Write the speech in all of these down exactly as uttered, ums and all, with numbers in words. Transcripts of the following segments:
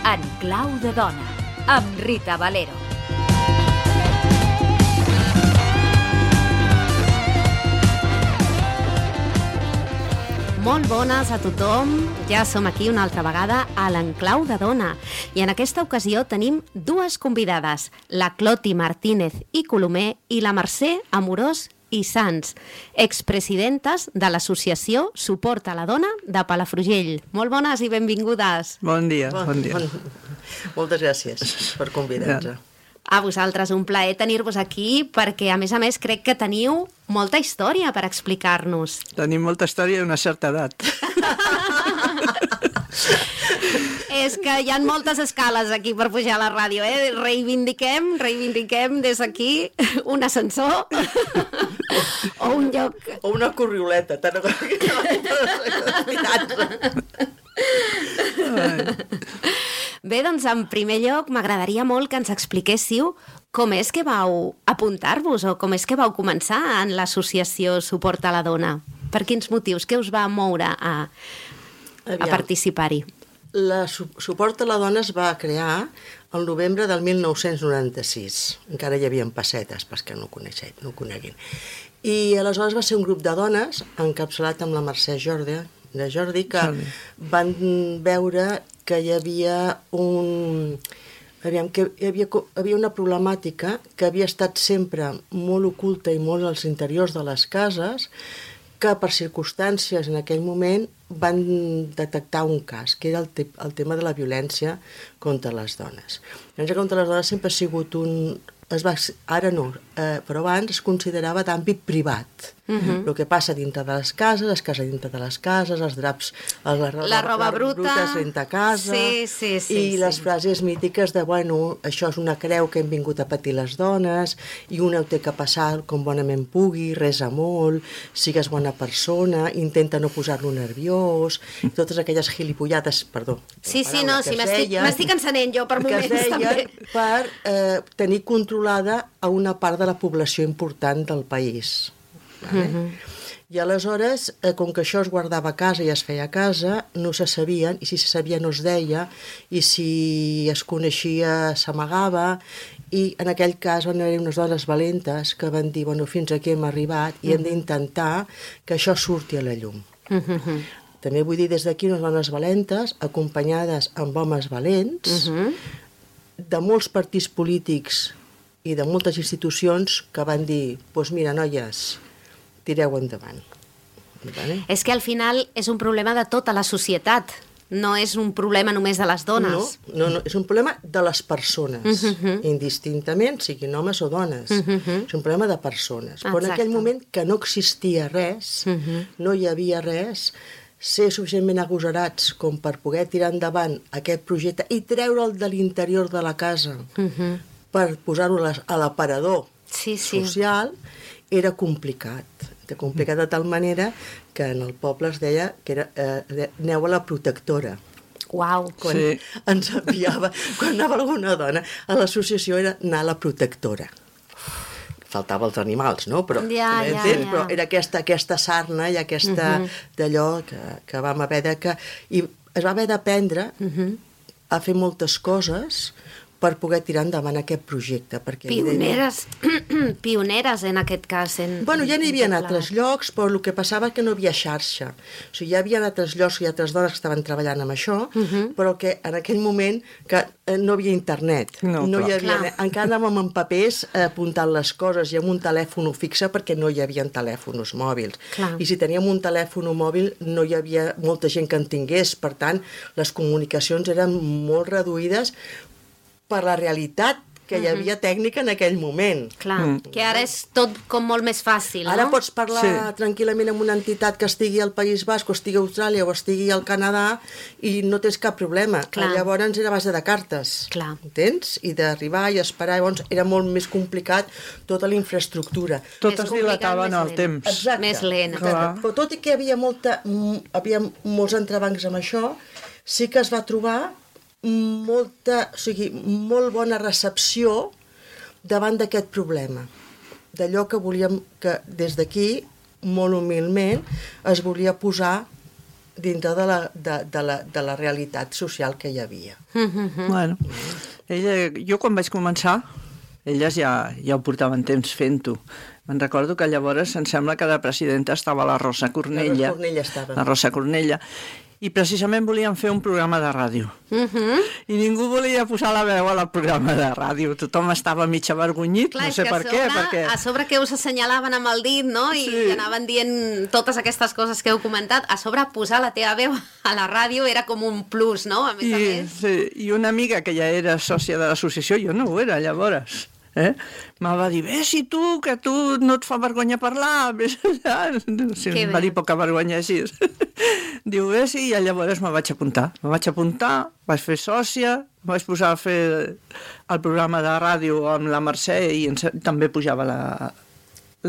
En clau de dona, amb Rita Valero. Molt bones a tothom, ja som aquí una altra vegada a l'Enclau de Dona i en aquesta ocasió tenim dues convidades, la Cloti Martínez i Colomer i la Mercè Amorós i Sans, expresidentes de l'associació Suport a la Dona de Palafrugell. Molt bones i benvingudes. Bon dia, bon, bon dia. Bon... Moltes gràcies per convidar-nos. A vosaltres, un plaer tenir-vos aquí perquè, a més a més, crec que teniu molta història per explicar-nos. Tenim molta història i una certa edat. És que hi ha moltes escales aquí per pujar a la ràdio, eh? Reivindiquem, reivindiquem des d'aquí un ascensor o un lloc... O una corrioleta, tant que Bé, doncs, en primer lloc, m'agradaria molt que ens expliquéssiu com és que vau apuntar-vos o com és que vau començar en l'associació Suport a la Dona. Per quins motius? Què us va moure a, a participar-hi? La su Suport a la Dona es va crear el novembre del mil nou-cents noranta-sis. Encara hi havia pessetes, pels que no ho coneixen, no ho coneguin. I aleshores va ser un grup de dones encapçalat amb la Mercè Jordi, de Jordi, que Jordi. van veure que hi havia un... Aviam, que hi havia, hi havia una problemàtica que havia estat sempre molt oculta i molt als interiors de les cases, que per circumstàncies en aquell moment van detectar un cas, que era el, te el tema de la violència contra les dones. La violència contra les dones sempre ha sigut un... Es va, ara no, eh, però abans es considerava d'àmbit privat. Uh-huh. El que passa dintre de les cases, es casa dintre de les cases, els draps, els, la, la roba bruta, bruta es renta a casa, sí, sí, sí, i sí. les frases mítiques de, bueno, això és una creu que hem vingut a patir les dones, i una ho té que passar com bonament pugui, resa molt, sigues bona persona, intenta no posar-lo nerviós, totes aquelles gilipollades, perdó. Sí, sí, no, sí, m'estic encenent jo per moments, que es també. Per eh, tenir controlada a una part de la població important del país. Vale? Uh-huh. I aleshores, eh, com que això es guardava a casa i es feia a casa, no se sabien, i si se sabia no es deia, i si es coneixia s'amagava, i en aquell cas van haver unes dones valentes que van dir, bueno, fins aquí hem arribat i uh-huh. hem d'intentar que això surti a la llum. Uh-huh. També vull dir des d'aquí unes dones valentes, acompanyades amb homes valents, uh-huh. de molts partits polítics i de moltes institucions que van dir, doncs mira, noies, tireu endavant. Vale? És que al final és un problema de tota la societat, no és un problema només de les dones. No, no, no és un problema de les persones, uh-huh. indistintament, siguin homes o dones. Uh-huh. És un problema de persones. Exacte. Però en aquell moment que no existia res, uh-huh. no hi havia res, ser suficientment agosarats com per poder tirar endavant aquest projecte i treure'l de l'interior de la casa uh-huh. per posar-ho a l'aparador sí, sí. social, era complicat. Era complicat de tal manera que en el poble es deia que era, eh, aneu a la protectora. Uau! Quan sí. ens enviava, quan anava alguna dona a l'associació era anar a la protectora. Faltava els animals, no? Però, ja, ja, ja. ja. però era aquesta, aquesta sarna i aquesta uh-huh. d'allò que, que vam haver de... Que, I es va haver d'aprendre uh-huh. a fer moltes coses per poder tirar endavant aquest projecte. Perquè pioneres, evidentment... pioneres en aquest cas. En, bueno, ja n'hi havia en altres llocs, però el que passava que no hi havia xarxa. O sigui, ja hi havia altres llocs i altres dones que estaven treballant amb això, uh-huh. però que en aquell moment que no hi havia internet. No, no hi havia, clar. encara anàvem amb papers eh, apuntant les coses i amb un telèfon fixe perquè no hi havia telèfons mòbils. Clar. I si teníem un telèfon mòbil no hi havia molta gent que en tingués. Per tant, les comunicacions eren molt reduïdes per la realitat que hi havia tècnica en aquell moment. Clar, mm. que ara és tot com molt més fàcil, no? Ara pots parlar sí. tranquil·lament amb una entitat que estigui al País Basc, o estigui a Austràlia, o estigui al Canadà, i no tens cap problema. Clar. Llavors era a base de cartes, Clar. entens? I d'arribar i esperar, llavors era molt més complicat tota la infraestructura. Tot es dilatava en el temps. Exacte. Més lent. Exacte. Però tot i que hi havia, molta, havia molts entrebancs amb això, sí que es va trobar molta, o sigui, molt bona recepció davant d'aquest problema. D'allò que volíem, que des d'aquí, molt humilment, es volia posar dintre de la, de, de, la, de la realitat social que hi havia. Mm-hmm. Bueno, ella, jo quan vaig començar, elles ja, ja ho portaven temps fent-ho. Me'n recordo que llavors em sembla que de presidenta estava la Rosa Cornella. La Rosa Cornella estava. La Rosa Cornella. I precisament volíem fer un programa de ràdio. Uh-huh. I ningú volia posar la veu al programa de ràdio. Tothom estava mig avergonyit, clar, no sé per sobre, què. Perquè... A sobre que us assenyalaven amb el dit, no? I sí. anaven dient totes aquestes coses que heu comentat. A sobre posar la teva veu a la ràdio era com un plus, no? A més I, a més. Sí, i una amiga que ja era sòcia de l'associació, jo no ho era llavors, eh? Me va dir, vés i tu, que tu no et fa vergonya parlar, vés allà. Sí, em va dir poca vergonya així. Diu, vés i llavors me vaig apuntar. Me vaig apuntar, vaig fer sòcia, vaig posar a fer el programa de ràdio amb la Mercè i ens, també pujava la,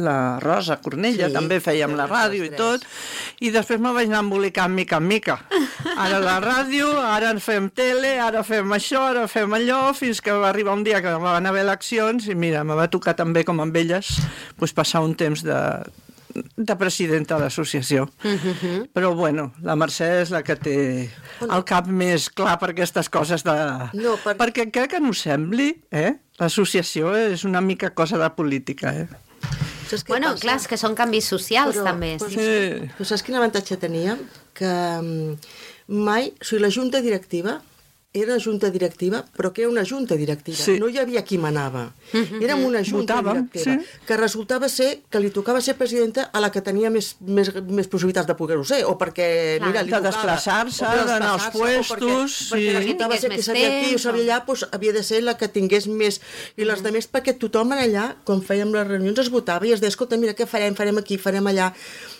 la Rosa Cornella, sí, també fèiem la ràdio i tot, i després me vaig anar embolicant mica en mica. Ara la ràdio, ara en fem tele, ara fem això, ara fem allò, fins que va arribar un dia que van haver eleccions i mira, me va tocar també com amb elles pues, passar un temps de, de presidenta de l'associació. Uh-huh. Però bueno, la Mercè és la que té el cap més clar per aquestes coses de... No, per... perquè crec que no ho sembli, eh? L'associació és una mica cosa de política, eh? Bueno, passa? Clar, és que són canvis socials, però, també. Però, sí. Sí. Però saps quin avantatge teníem? Que mai, o sigui, la junta directiva era una junta directiva, però que era una junta directiva. Sí. No hi havia qui manava. Mm-hmm. Érem una junta Votàvem, directiva, sí. que resultava ser que li tocava ser presidenta a la que tenia més, més, més possibilitats de poder-ho ser, o perquè, clar, mira, li de tocava... desplaçar-se, d'anar als puestos... Perquè, sí. perquè resultava ser que sabia aquí o sabia allà, doncs havia de ser la que tingués més... I les mm. altres, perquè tothom en allà, quan fèiem les reunions, es votava i es deia, escolta, mira, què farem? Farem aquí, farem allà...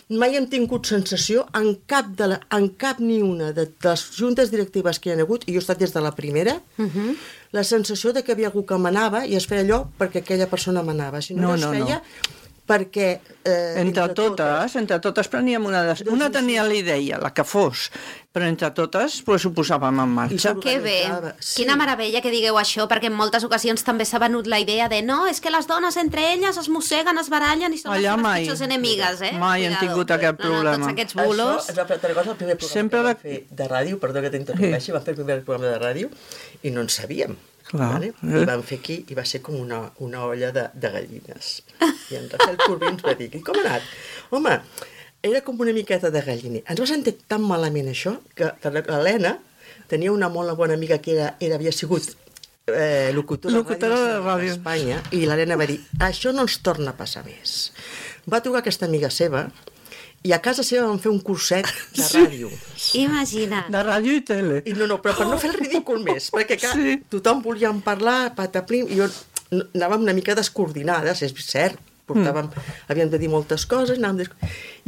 Mai hem tingut sensació en cap, de la, en cap ni una de, de les juntes directives que hi ha hagut, i jo he estat des de la primera, uh-huh. la sensació de que havia algú que manava i es feia allò perquè aquella persona manava. Si no, no, no es feia... No. Perquè... Eh, entre, entre totes, totes, entre totes preníem una... De... Una tenia la idea, la que fos, però entre totes pues, ho posàvem en marxa. Que bé, sí. Quina meravella que digueu això, perquè en moltes ocasions també s'ha venut la idea de no, és que les dones entre elles es mosseguen, es barallen i són allà les mai, pitjors enemigues, eh? Mai han tingut aquest problema. No, no, tots aquests bulos... Això és la, cosa, el primer programa Sempre que vam fer de ràdio, perdó que t'interrompeixi, sí. vam fer el primer programa de ràdio i no en sabíem. Vale? I vam fer aquí, i va ser com una, una olla de, de gallines. I en Rafael Corbí ens va dir, i com ha anat? Home, era com una miqueta de galliner. Ens va sentir tan malament això, que, que l'Helena tenia una molt bona amiga que era, era havia sigut eh, locutora, locutora de ràdio d'Espanya, i l'Helena va dir, això no ens torna a passar més. Va trucar aquesta amiga seva, i a casa seva vam fer un curset de ràdio. Sí. Imagina't. De ràdio i tele. I no, no, però per no fer el ridícul més, perquè clar, sí. tothom volia parlar, pataplim, i jo anàvem una mica descoordinades, és cert, portàvem, mm. havíem de dir moltes coses, anàvem des...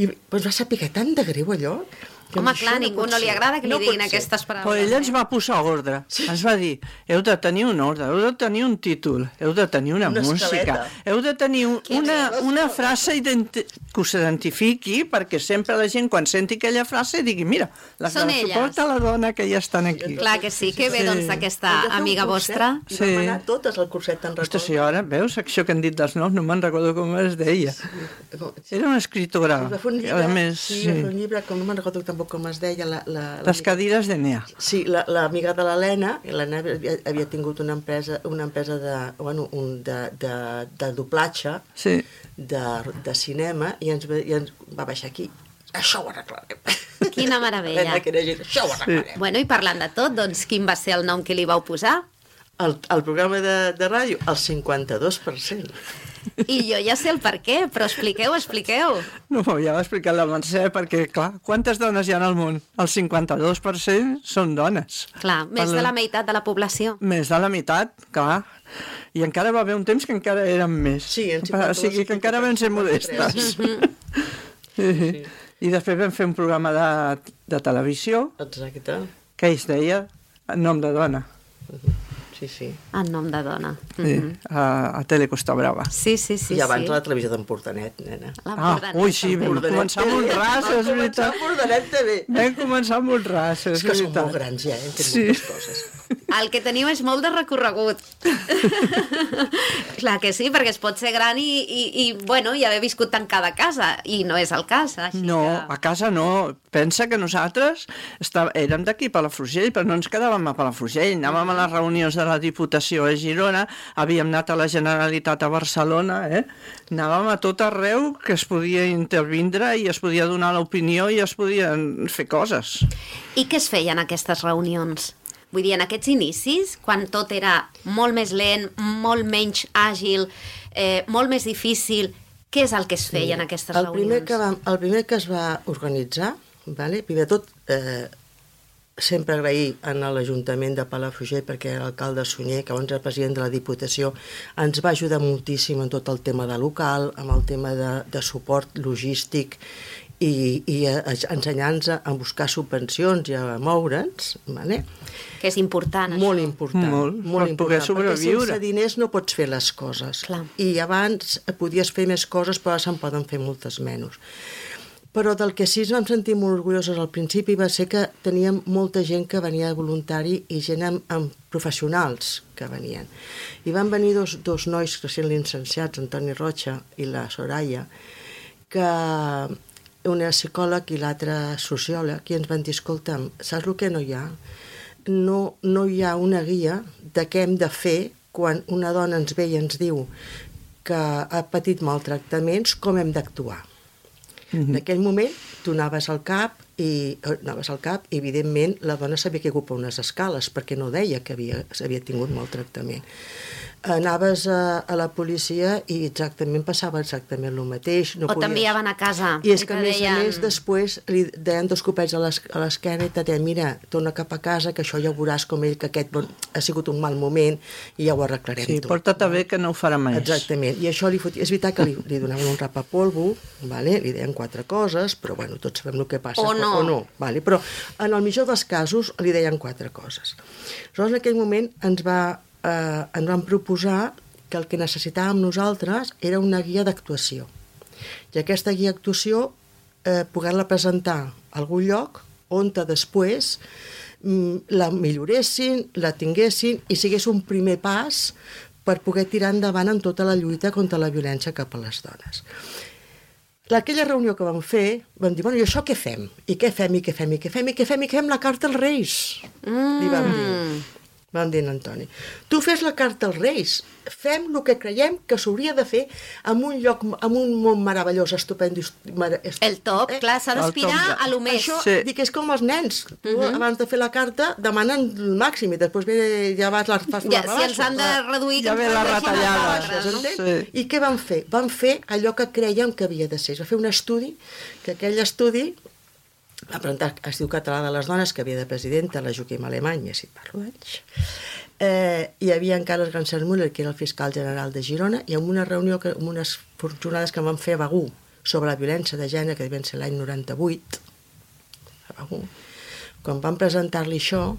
i pues, va saber que tant de greu allò. Home, clar, a ningú no li agrada que li no diguin aquestes paraules. Però ella ens va posar ordre. Sí. Ens va dir, heu de tenir un ordre, heu de tenir un títol, heu de tenir una, una música, escaleta. Heu de tenir un, una, una frase identi que us identifiqui, perquè sempre la gent, quan senti aquella frase, digui, mira, la que suporta la dona que ja estan aquí. Clar que sí, que bé, doncs, aquesta amiga vostra. I sí. vam anar totes al curset, te'n recordo. Ostres, sí, ara, veus, això que han dit dels noms, no me'n recordo com es deia. Sí. Era una escritora. Va fer un llibre, a més, sí, va fer un llibre, com no me'n recordo tampoc com es deia, la, la, la les cadires de Nea. Sí, l'amiga la, de l'Helena, l'Helena havia, havia tingut una empresa, una empresa de, bueno, un, de, de, de doblatge, sí. de, de cinema, i ens, i ens va baixar aquí. Això ho arreglarem. Quina meravella. Gent, això ho arreglarem. Sí. Bueno, i parlant de tot, doncs quin va ser el nom que li vau posar? El, el programa de, de ràdio, el cinquanta-dos per cent. I jo ja sé el per què, però expliqueu, expliqueu. No, ja l'ha explicat la Mercè, perquè, clar, quantes dones hi ha al món? El cinquanta-dos per cent són dones. Clar, més per... de la meitat de la població. Més de la meitat, clar. I encara va haver un temps que encara érem més. Sí, en o sigui que encara vam ser modestes. Sí. I després vam fer un programa de, de televisió. Exacte. Que es deia En nom de dona. Sí, sí. En nom de dona. Sí, mm-hmm. a, a Tele Costa Brava. Sí, sí, sí. I abans sí. la televisió d'Empordanet, nena. Ah, ui, sí, vam començar molt ras, és veritat. Empordanet també. Vam començar molt ras, és veritat. És que som molt grans ja, hem fet sí. moltes coses. El que teniu és molt de recorregut. Clar que sí, perquè es pot ser gran i, i, i, bueno, i haver viscut tancada a casa, i no és el cas. Així no, que... a casa no. Pensa que nosaltres estava, érem d'aquí a Palafrugell, però no ens quedàvem a Palafrugell. Anàvem a les reunions de la Diputació a Girona, havíem anat a la Generalitat a Barcelona, eh? Anàvem a tot arreu que es podia intervindre i es podia donar l'opinió i es podien fer coses. I què es feia en aquestes reunions? Vull dir, en aquests inicis, quan tot era molt més lent, molt menys àgil, eh, molt més difícil, què és el que es feia en aquestes el primer reunions? que va, el primer que es va organitzar, vale? Primer de tot, eh, sempre agrair a l'Ajuntament de Palafrugell, perquè era l'alcalde Sunyer, que abans era president de la Diputació, ens va ajudar moltíssim en tot el tema de local, amb el tema de, de suport logístic, i, i ensenyar-nos a buscar subvencions i a moure'ns, vale? Que és important, molt això. important, molt, molt per important, poder sobreviure. perquè sense diners no pots fer les coses. Clar. I abans podies fer més coses, però ara se'n poden fer moltes menys. Però del que sí ens vam sentir molt orgullosos al principi va ser que teníem molta gent que venia de voluntari i gent amb, amb professionals que venien. I van venir dos, dos nois recent licenciats, Antoni Rocha i la Soraya, que una psicòleg i l'altre sociòleg, i ens van dir, escolta'm, saps el que no hi ha? No, no hi ha una guia de què hem de fer quan una dona ens ve i ens diu que ha patit maltractaments, com hem d'actuar. Mm-hmm. En aquell moment, tu anaves al CAP i, anaves al CAP i, evidentment, la dona sabia que ocupava unes escales perquè no deia que havia, havia tingut maltractament. Anaves a, a la policia i exactament passava exactament el mateix. No o podies... t'enviaven a casa. I és que, a més deien... a més, després li deien dos copets a l'esquena i te deien, mira, torna cap a casa, que això ja ho veuràs com ell, que aquest bon, ha sigut un mal moment i ja ho arreglarem sí, tot. Sí, porta't bé que no ho farà més. Exactament. I això li fotia... És veritat que li, li donaven un rapapolvo, vale? Li deien quatre coses, però bueno, tots sabem el que passa. O no. O no vale? Però en el millor dels casos li deien quatre coses. Aleshores, en aquell moment ens va... Eh, ens van proposar que el que necessitàvem nosaltres era una guia d'actuació. I aquesta guia d'actuació eh, poder-la presentar a algun lloc on després mm, la milloressin, la tinguessin i sigués un primer pas per poder tirar endavant en tota la lluita contra la violència cap a les dones. Aquella reunió que vam fer, vam dir, bueno, i això què fem? I què fem, i què fem, i què fem, i què fem, i què fem la carta als Reis? Mm. Li vam dir. Vam dir a Antoni, tu fes la carta als Reis, fem el que creiem que s'hauria de fer en un lloc, en un món meravellós, estupendo. El top, eh? Clar, s'ha d'aspirar de... a lo més. Això, sí. dic, és com els nens. Tu, uh -huh. abans de fer la carta, demanen el màxim i després ve, ja vas les fas ja, si ens han de reduir... Ja ve la retallada. Baixes, no? Sí. I què van fer? Van fer allò que creiem que havia de ser. Es va fer un estudi, que aquell estudi va presentar es diu Català de les Dones, que havia de presidenta la Joaquim Alemany, ja si parlo d'anys. Eh, hi havia en Carles Ganser Müller, que era el fiscal general de Girona, i en una reunió, que, en unes jornades que van fer a Begur sobre la violència de gènere, que devien ser l'any noranta-vuit, a Begur, quan van presentar-li això,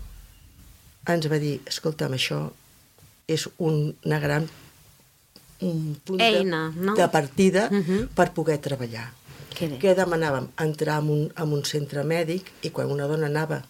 ens va dir, escolta'm, això és un, una gran un punt eina, de, no? de partida uh -huh. per poder treballar. Que, que demanàvem? Entrar en un, en un centre mèdic i quan una dona anava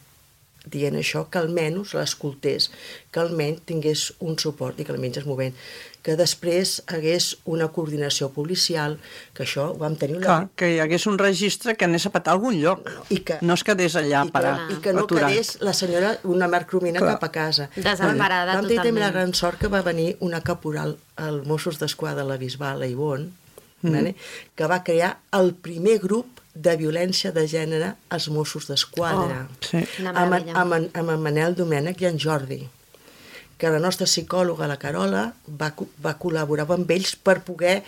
dient això, que almenys l'escoltés, que almenys tingués un suport i que almenys es movent, que després hagués una coordinació policial, que això ho vam tenir... Una... Clar, que hi hagués un registre que anés a petar a algun lloc, I que, no es quedés allà i que, parat, i que no aturat. quedés la senyora, una marcromina Clar. cap a casa. Desemparada vam tenir també la totalment. gran sort que va venir una caporal al Mossos d'Esquadra, la Bisbal, la Ivonne, mm. vale? que va crear el primer grup de violència de gènere als Mossos d'Esquadra, Oh, sí. amb, amb, amb en Manel Domènech i en Jordi, que la nostra psicòloga, la Carola, va, va col·laborar amb ells per poder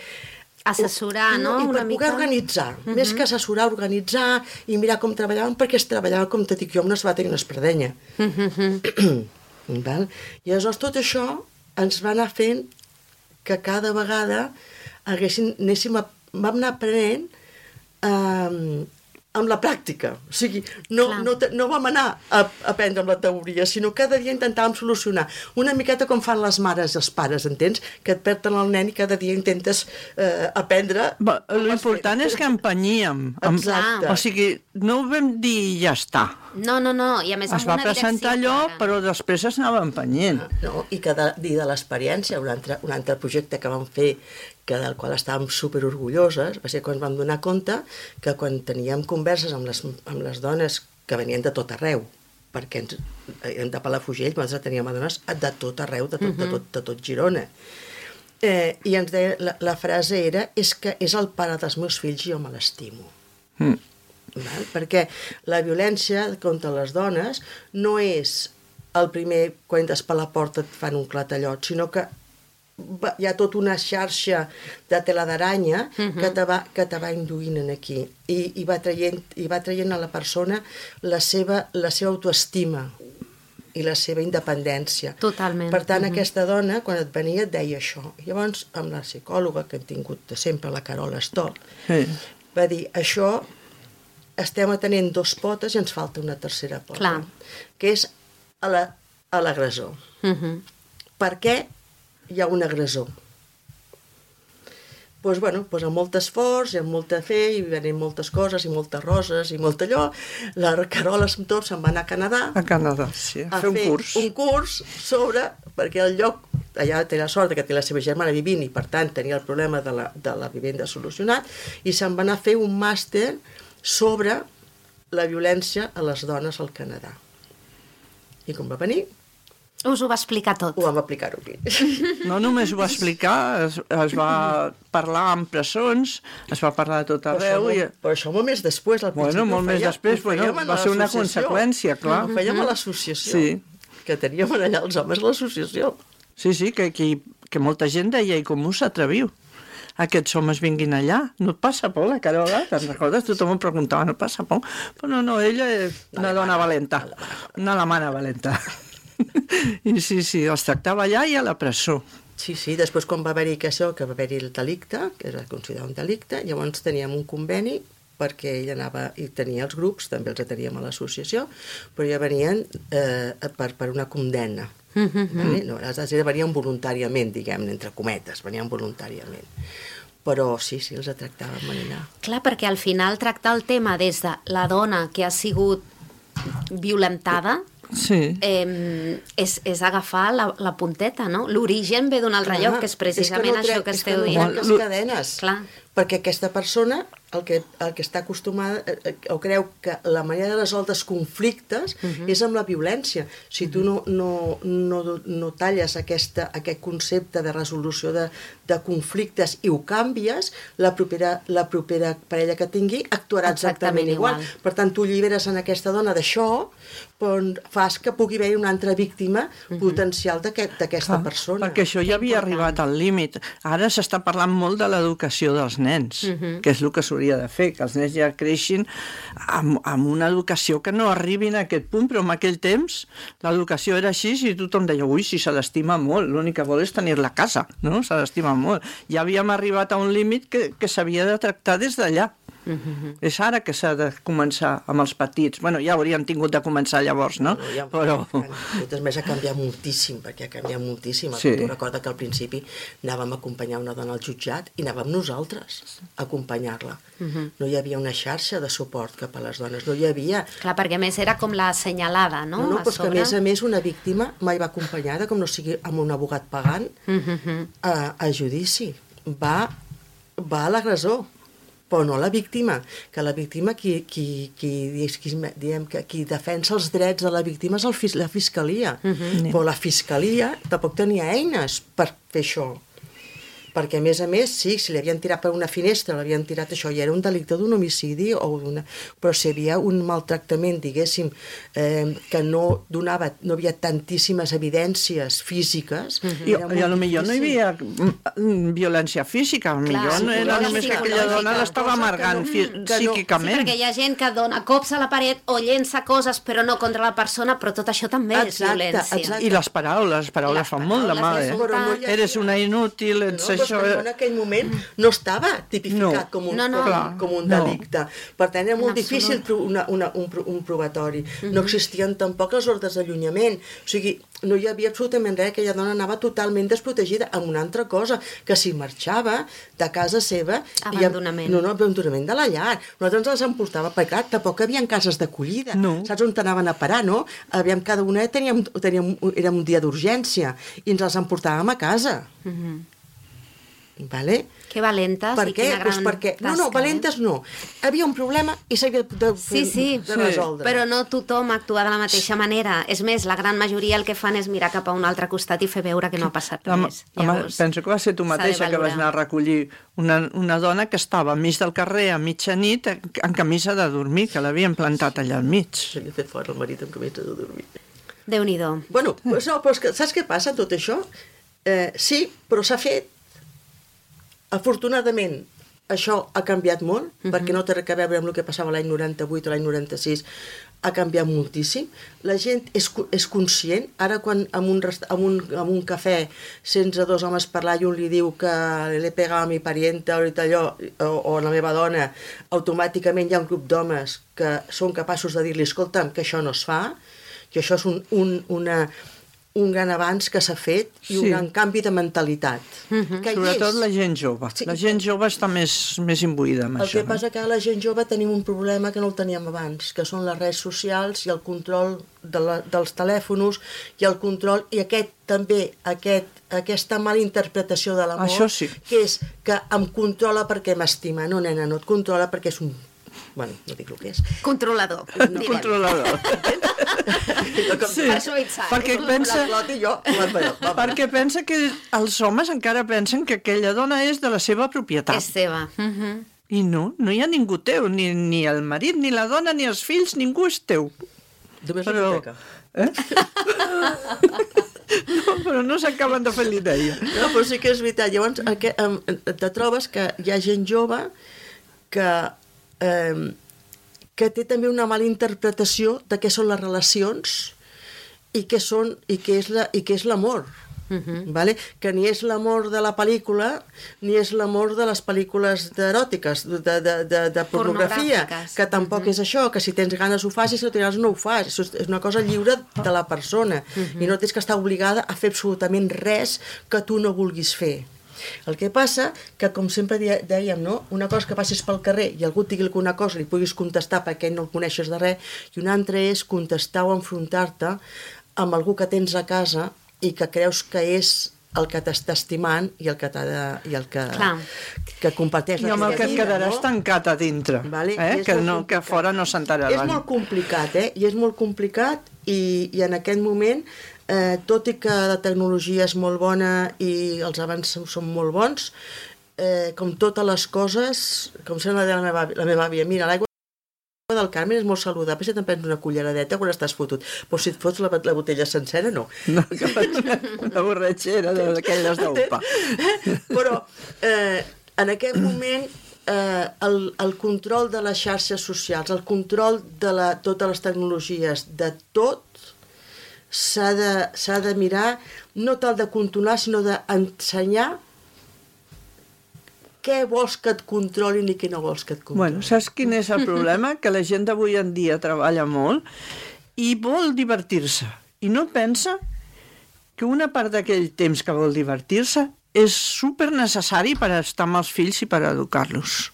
assessorar, no? I per Una poder mica... organitzar, Uh-huh. més que assessorar, organitzar i mirar com treballaven, perquè es treballava, com te dic jo, amb una sabata i una espardenya. Uh-huh. Val? I aleshores tot això ens va anar fent que cada vegada haguessin, anéssim a, vam anar aprenent a, amb la pràctica. O sigui, no, no, no vam anar a, a aprendre amb la teoria, sinó cada dia intentàvem solucionar. Una miqueta com fan les mares i els pares, entens? Que et perden el nen i cada dia intentes eh, aprendre... L'important és que empenyíem. Exacte. O sigui, no ho vam dir i ja està. No, no, no, i a més es va presentar allò, clara. Però després es anava empenyent. No, i que de, de l'experiència, un altre, un altre projecte que vam fer, que del qual estàvem superorgulloses, va ser quan vam donar compte que quan teníem converses amb les, amb les dones que venien de tot arreu, perquè ens, érem de Palafrugell, nosaltres teníem dones de tot arreu, de tot, uh-huh. de tot, de tot Girona. Eh, I ens deia, la, la frase era, és que és el pare dels meus fills i jo me l'estimo. Mm. Val? Perquè la violència contra les dones no és el primer, quan entres per la porta et fan un clatallot, sinó que hi ha tota una xarxa de tela d'aranya uh-huh. que, te va, que te va induint aquí i, i, va traient, i va traient a la persona la seva, la seva autoestima i la seva independència. Totalment. Per tant, uh-huh. aquesta dona, quan et venia, et deia això. Llavors, amb la psicòloga que hem tingut de sempre, la Carola Stoll, sí. va dir, això estem atenent dos potes i ens falta una tercera pota. Clar. Que és a la, a l'agressor. Uh-huh. Per què hi ha un agressor? Doncs, pues, bueno, pues amb molt esforç i amb molta fe i venint moltes coses i moltes roses i molt allò, la Carola amb tot se'n va anar a Canadà a Canadà, sí, a, a fer un fer curs un curs sobre, perquè el lloc allà té la sort que té la seva germana vivint i per tant tenia el problema de la, de la vivenda solucionat i se'n va anar a fer un màster sobre la violència a les dones al Canadà. I com va venir, us ho va explicar tot. Ho vam aplicar-ho aquí. No només ho va explicar, es, es va parlar en presons, es va parlar de tot arreu. Però això, i... molt, però això molt més després, al principi. Bueno, molt més després, bueno, va ser una conseqüència, clar. Ho fèiem a l'associació, sí. Que teníem allà els homes a l'associació. Sí, sí, que, que, que molta gent deia, i com us atreviu? Aquests homes vinguin allà, no et passa por, la Carola, te'n recordes? Tothom em preguntava, no et passa por? Però no, no, ella és una dona valenta, una alemana valenta. I sí, sí, els tractava allà i a la presó. Sí, sí, després quan va haver-hi això, que va haver-hi el delicte, que era considerat un delicte, llavors teníem un conveni perquè ell anava i tenia els grups, també els teníem a l'associació, però ja venien eh, per, per una condemna. Mm-hmm. No, les altres venien voluntàriament, diguem, entre cometes, venien voluntàriament. Però sí, sí, els tractàvem allà. Clar, perquè al final tractar el tema des de la dona que ha sigut violentada sí. eh, és, és agafar la, la punteta, no? L'origen ve d'un altre lloc, que és precisament és que no això que esteu dient. És que no trenques cadenes. Clar. Perquè aquesta persona el que, el que està acostumada o creu que la manera de resoldre els conflictes uh-huh. és amb la violència. Si tu no, no, no, no talles aquesta, aquest concepte de resolució de, de conflictes i ho canvies, la propera, la propera parella que tingui actuarà exactament, exactament igual. igual. Per tant, tu alliberes en aquesta dona d'això, però fas que pugui haver una altra víctima uh-huh. potencial d'aquesta aquest, persona. Perquè això ja havia arribat al límit. Ara s'està parlant molt de l'educació dels nens, uh-huh. que és el que s'hauria de fer, que els nens ja creixin amb, amb una educació que no arribin a aquest punt, però en aquell temps l'educació era així i tothom deia, ui, si se l'estima molt, l'únic que vol és tenir-la a casa, no? Se l'estima molt. Ja havíem arribat a un límit que, que s'havia de tractar des d'allà. Uh-huh. És ara que s'ha de començar amb els petits. Bueno, ja hauríem tingut de començar llavors, no? no ja, però... Totes més ha canviat moltíssim, perquè ha canviat moltíssim. Sí. Tu recorda que al principi anàvem a acompanyar una dona al jutjat i anàvem nosaltres a acompanyar-la. Uh-huh. No hi havia una xarxa de suport cap a les dones, no hi havia... Clar, perquè a més era com la assenyalada, no? No, no, però a, sobre... que a més a més una víctima mai va acompanyada, com no sigui amb un abogat pagant, uh-huh. a, a judici. Va, va a l'agressor, però no la víctima, que la víctima qui, qui, qui, qui, diem, que qui defensa els drets de la víctima és el, la fiscalia, uh-huh. però la fiscalia tampoc tenia eines per fer això, perquè a més a més, sí, si l'havien tirat per una finestra, l'havien tirat això, i era un delicte d'un homicidi, o una... però si hi havia un maltractament, diguéssim, eh, que no donava, no havia tantíssimes evidències físiques... Uh-huh. I, I a lo millor no hi havia violència física, a lo millor no era només que aquella dona l'estava amargant no, psíquicament. Sí, perquè hi ha gent que dona cops a la paret o llença coses, però no contra la persona, però tot això també exacte, és violència. Exacte. I les paraules, les paraules les fan molt de mal, eh? No Eres una inútil, ets no, això... que en aquell moment no estava tipificat no. com un, no, no. com, com un delicte. No. Per tant, era molt difícil una, una, un, un probatori. Uh-huh. No existien tampoc les ordres d'allunyament. O sigui, no hi havia absolutament res. Aquella dona anava totalment desprotegida amb una altra cosa, que si marxava de casa seva... Abandonament. I, no, no, abandonament de la llar. Nosaltres ens les emportava, perquè clar, tampoc hi havia cases d'acollida. No. Saps on anaven a parar, no? Aviam, cada una teníem, teníem, era un dia d'urgència i ens els emportàvem a casa. Uh-huh. Vale? Que valentes per i què? quina gran pues perquè... tasca. No, no, valentes no. Havia un problema i s'havia de, sí, sí, de resoldre. Però no tothom actua de la mateixa manera. És més, la gran majoria el que fan és mirar cap a un altre costat i fer veure que no ha passat Home, res. home, Llavors, penso que va ser tu mateixa que vas anar a recollir una, una dona que estava enmig del carrer a mitjanit en camisa de dormir, que l'havien plantat allà al mig. S'havia fet fora el marit amb camisa de dormir. Déu-n'hi-do. Bueno, pues no, però que, saps què passa tot això? Eh, sí, però s'ha fet. Afortunadament, això ha canviat molt, uh-huh. perquè no té res a veure amb el que passava l'any noranta-vuit o l'any noranta-sis, ha canviat moltíssim. La gent és, és conscient. Ara, quan en un, rest... en, un, en un cafè sents a dos homes parlar i un li diu que l'he pegat a mi parienta o, allò, o, o la meva dona, automàticament hi ha un grup d'homes que són capaços de dir-li, escolta'm, que això no es fa, que això és un, un, una... un gran avanç que s'ha fet i sí. un gran canvi de mentalitat. Uh-huh. Que sobretot és... la gent jove. Sí. La gent jove està més, més imbuïda amb el això. El que passa que a la gent jove tenim un problema que no el teníem abans, que són les redes socials i el control de la, dels telèfons i el control, i aquest també, aquest, aquesta mala interpretació de l'amor, això sí. que és que em controla perquè m'estima. No, nena, no et controla perquè és un... Bueno, no dic el que és. Controlador. No, controlador. Sí, perquè pensa, perquè pensa que els homes encara pensen que aquella dona és de la seva propietat. És seva. Uh-huh. I no, no hi ha ningú teu, ni, ni el marit, ni la dona, ni els fills, ningú és teu. Només la hipoteca. Eh? No, però no s'acaben de fer l'idea. No, però sí que és veritat. Llavors, te trobes que hi ha gent jove que... Eh, que té també una mala interpretació de què són les relacions i què són i què és la i què és l'amor. Uh-huh. Vale? Que ni és l'amor de la pel·lícula ni és l'amor de les pel·lícules eròtiques, de, de, de, de pornografia, que tampoc uh-huh. és això, que si tens ganes ho fas i si no tens ganes no ho fas. Això és una cosa lliure de la persona uh-huh. i no tens que estar obligada a fer absolutament res que tu no vulguis fer. El que passa que, com sempre dèiem, no? Una cosa que passis pel carrer i algú et digui alguna cosa li puguis contestar perquè no el coneixes de res, i una altra és contestar o enfrontar-te amb algú que tens a casa i que creus que és el que t'està estimant i el que, de, i el que, que comparteix la teva vida. I amb el que et quedaràs no? tancat a dintre, vale? eh? que, no, que fora no s'enterarà. És molt complicat, eh? I és molt complicat i, i en aquest moment, eh, tot i que la tecnologia és molt bona i els avanços són molt bons, eh, com totes les coses, com sempre deia la meva, la meva àvia, mira, l'aigua del Carmen és molt saludable si te'n prens una culleradeta quan estàs fotut, però si et fots la, la botella sencera, no. No, que una borratxera d'aquelles d'opa. Però eh, en aquest moment eh, el, el control de les xarxes socials, el control de la, totes les tecnologies, de tot, s'ha de, s'ha de mirar, no tal de controlar, sinó d'ensenyar què vols que et controlin i què no vols que et controlin. Bueno, saps quin és el problema? Que la gent d'avui en dia treballa molt i vol divertir-se. I no pensa que una part d'aquell temps que vol divertir-se és super necessari per estar amb els fills i per educar-los.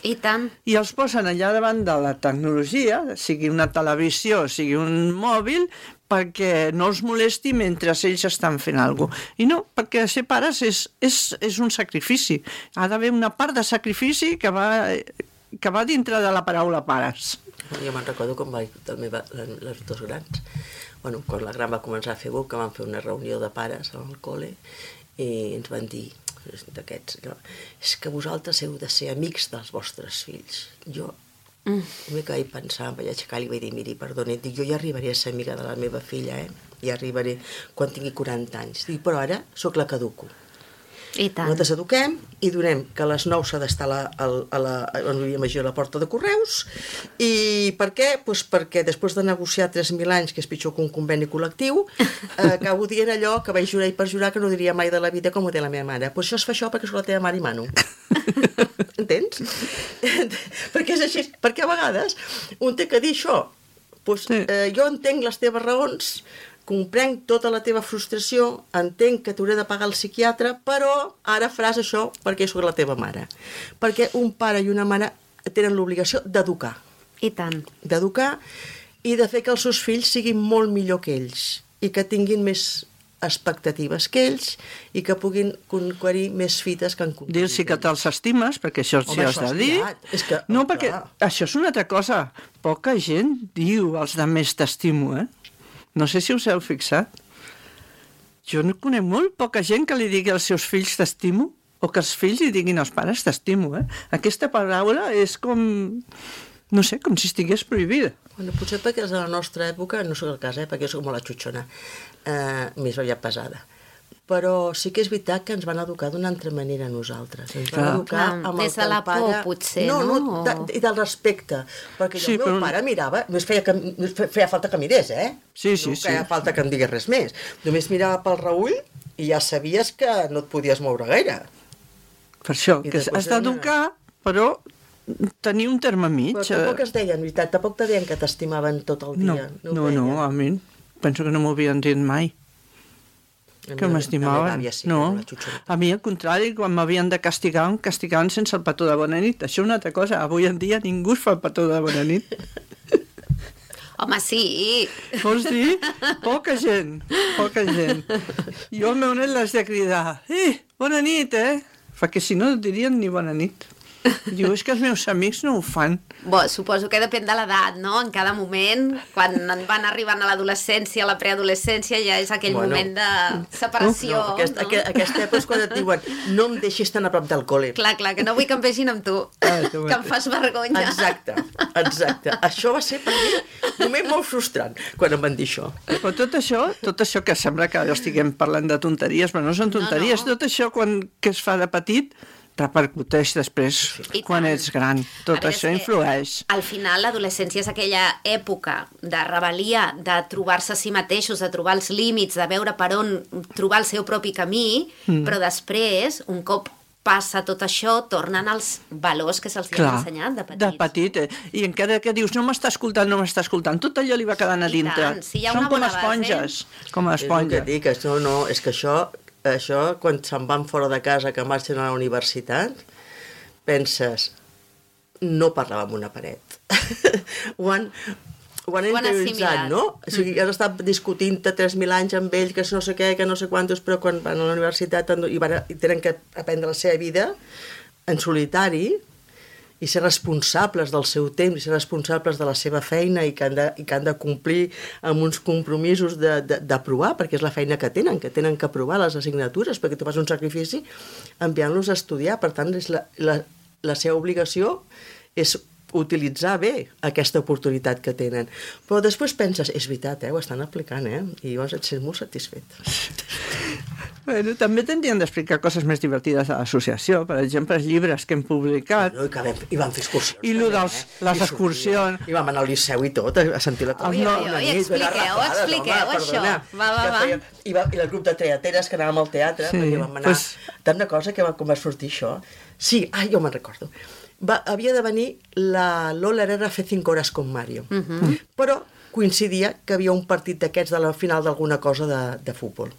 I tant. I els posen allà davant de la tecnologia, sigui una televisió, sigui un mòbil, perquè no els molesti mentre ells estan fent alguna cosa. I no, perquè ser pares és, és, és un sacrifici. Ha d'haver una part de sacrifici que va, que va dintre de la paraula pares. Jo me'n recordo quan va, meva, les dos grans, bueno, quan la gran va començar a fer buc, que vam fer una reunió de pares al col·le i ens van dir d'aquests, no, és que vosaltres heu de ser amics dels vostres fills. Jo Mm. Només que vaig pensar, em vaig aixecar i li vaig dir, miri, perdoni, dic, jo ja arribaré a ser amiga de la meva filla, eh? Ja arribaré quan tingui quaranta anys. Dic, però ara sóc la que educo. I tant. Nosaltres eduquem i donem que a les nou s'ha d'estar a la, a la, a la, a la porta de correus. I per què? Pues perquè després de negociar tres mil anys, que és pitjor que un conveni col·lectiu, eh, acabo dient allò que vaig jurar i perjurar que no diria mai de la vida com ho té la meva mare. Pues això es fa això perquè soc la teva mare i mano. Entens? Perquè és així. Perquè a vegades un té que dir això. Pues, eh, jo entenc les teves raons, comprenc tota la teva frustració, entenc que t'hauré de pagar el psiquiatre, però ara faràs això perquè sóc la teva mare. Perquè un pare i una mare tenen l'obligació d'educar. I tant. D'educar i de fer que els seus fills siguin molt millor que ells i que tinguin més expectatives que ells i que puguin conquerir més fites que en conquerir. Dir-s'hi que te'ls estimes, perquè això sí has de dir. És que, no, perquè això és una altra cosa. Poca gent diu als de més t'estimo, eh? No sé si us heu fixat. Jo no conec molt poca gent que li digui als seus fills t'estimo o que els fills li diguin als pares t'estimo, eh? Aquesta paraula és com... no sé, com si estigués prohibida. Bueno, potser perquè és de la nostra època, no sóc el cas, eh, perquè sóc molt la xutxona, eh, més aviat pesada. Però sí que és veritat que ens van educar d'una altra manera a nosaltres. Ens van Clar. educar Clar, amb des el de la pare... por, potser, no? no? No, de, i del respecte. Perquè Sí, el meu però- pare mirava, només feia, que, només feia falta que mirés, eh? Sí, sí, no sí. feia falta que em digués res més. Només mirava pel Raül i ja sabies que no et podies moure gaire. Per això, I que després has d'educar, però tenir un terme mig. Però tampoc es deien, en veritat, tampoc te deien que t'estimaven tot el No, dia. no, ho no, deien. a mi penso que no m'ho havien dit mai. A mi Que la- m'estimaven. la meva àvia sí, No, que era la xutxoneta. a mi al contrari, quan m'havien de castigar, em castigaven sense el petó de bona nit. Això és una altra cosa. Avui en dia ningú es fa el petó de bona nit. Home, sí. Vols dir? Poca gent, poca gent. Jo al meu net l'has de cridar. Eh, bona nit, eh? Perquè si no et dirien ni bona nit. Diu, és que els meus amics no ho fan. Bo, suposo que depèn de l'edat, no? En cada moment, quan van arribant a l'adolescència, a la preadolescència, ja és aquell Bueno. moment de separació. No, aquest, no? aquest, aquesta època és quan et diuen no em deixis tan a prop del col·le. Clar, clar, que no vull que em vegin amb tu, Ah, que que em fas vergonya. Exacte, exacte. Això va ser per mi un moment molt frustrant quan em van dir això. Però tot això, tot això que sembla que estiguem parlant de tonteries, però no són tonteries, No, no. tot això quan, que es fa de petit repercuteix després I quan tant. ets gran. Tot A veure, això és que influeix. Al final, l'adolescència és aquella època de rebel·lia, de trobar-se a si mateixos, de trobar els límits, de veure per on trobar el seu propi camí, mm. però després, un cop passa tot això, tornen els valors que se'ls han ensenyat de petits. de petit. Eh? I encara que dius, no m'està escoltant, no m'està escoltant, tot allò li va quedant a I dintre. tant, si hi ha Són una com bona base. esponges, com És el que esponges. dic, és, no, no, és que això, això quan se'n van fora de casa, que marxen a la universitat, penses, no parlava amb una paret. ho han, ho han Ho han interioritzat, assimilat. no? O sigui, has estat discutint-te tres mil anys amb ells, que no sé què, que no sé quantos, però quan van a la universitat i, van, i tenen que aprendre la seva vida en solitari i ser responsables del seu temps, i ser responsables de la seva feina i que han de, i que han de complir amb uns compromisos d'aprovar, perquè és la feina que tenen, que tenen que aprovar les assignatures, perquè tu fas un sacrifici enviant-los a estudiar. Per tant, és la, la, la seva obligació és utilitzar bé aquesta oportunitat que tenen. Però després penses, és veritat, eh, ho estan aplicant, eh? I llavors et sents molt satisfet. Bueno, també tindrien d'explicar coses més divertides a l'associació, per exemple, els llibres que hem publicat. No, i, que vam, I vam fer excursions. I lo també, dels- eh? les I excursions. sortíem, I vam anar al Liceu i tot, a sentir la Ui, ui, ui, expliqueu, expliqueu això. Va, va, va. I, va, I el grup de teateres que anàvem al teatre, Sí, perquè vam anar... pues- Tant una cosa que va, com va sortir això... Sí, ai, jo me'n recordo. Va, havia de venir la Lola Herrera a fer cinc hores con Mario. Uh -huh. Però coincidia que havia un partit d'aquests de la final d'alguna cosa de, de futbol,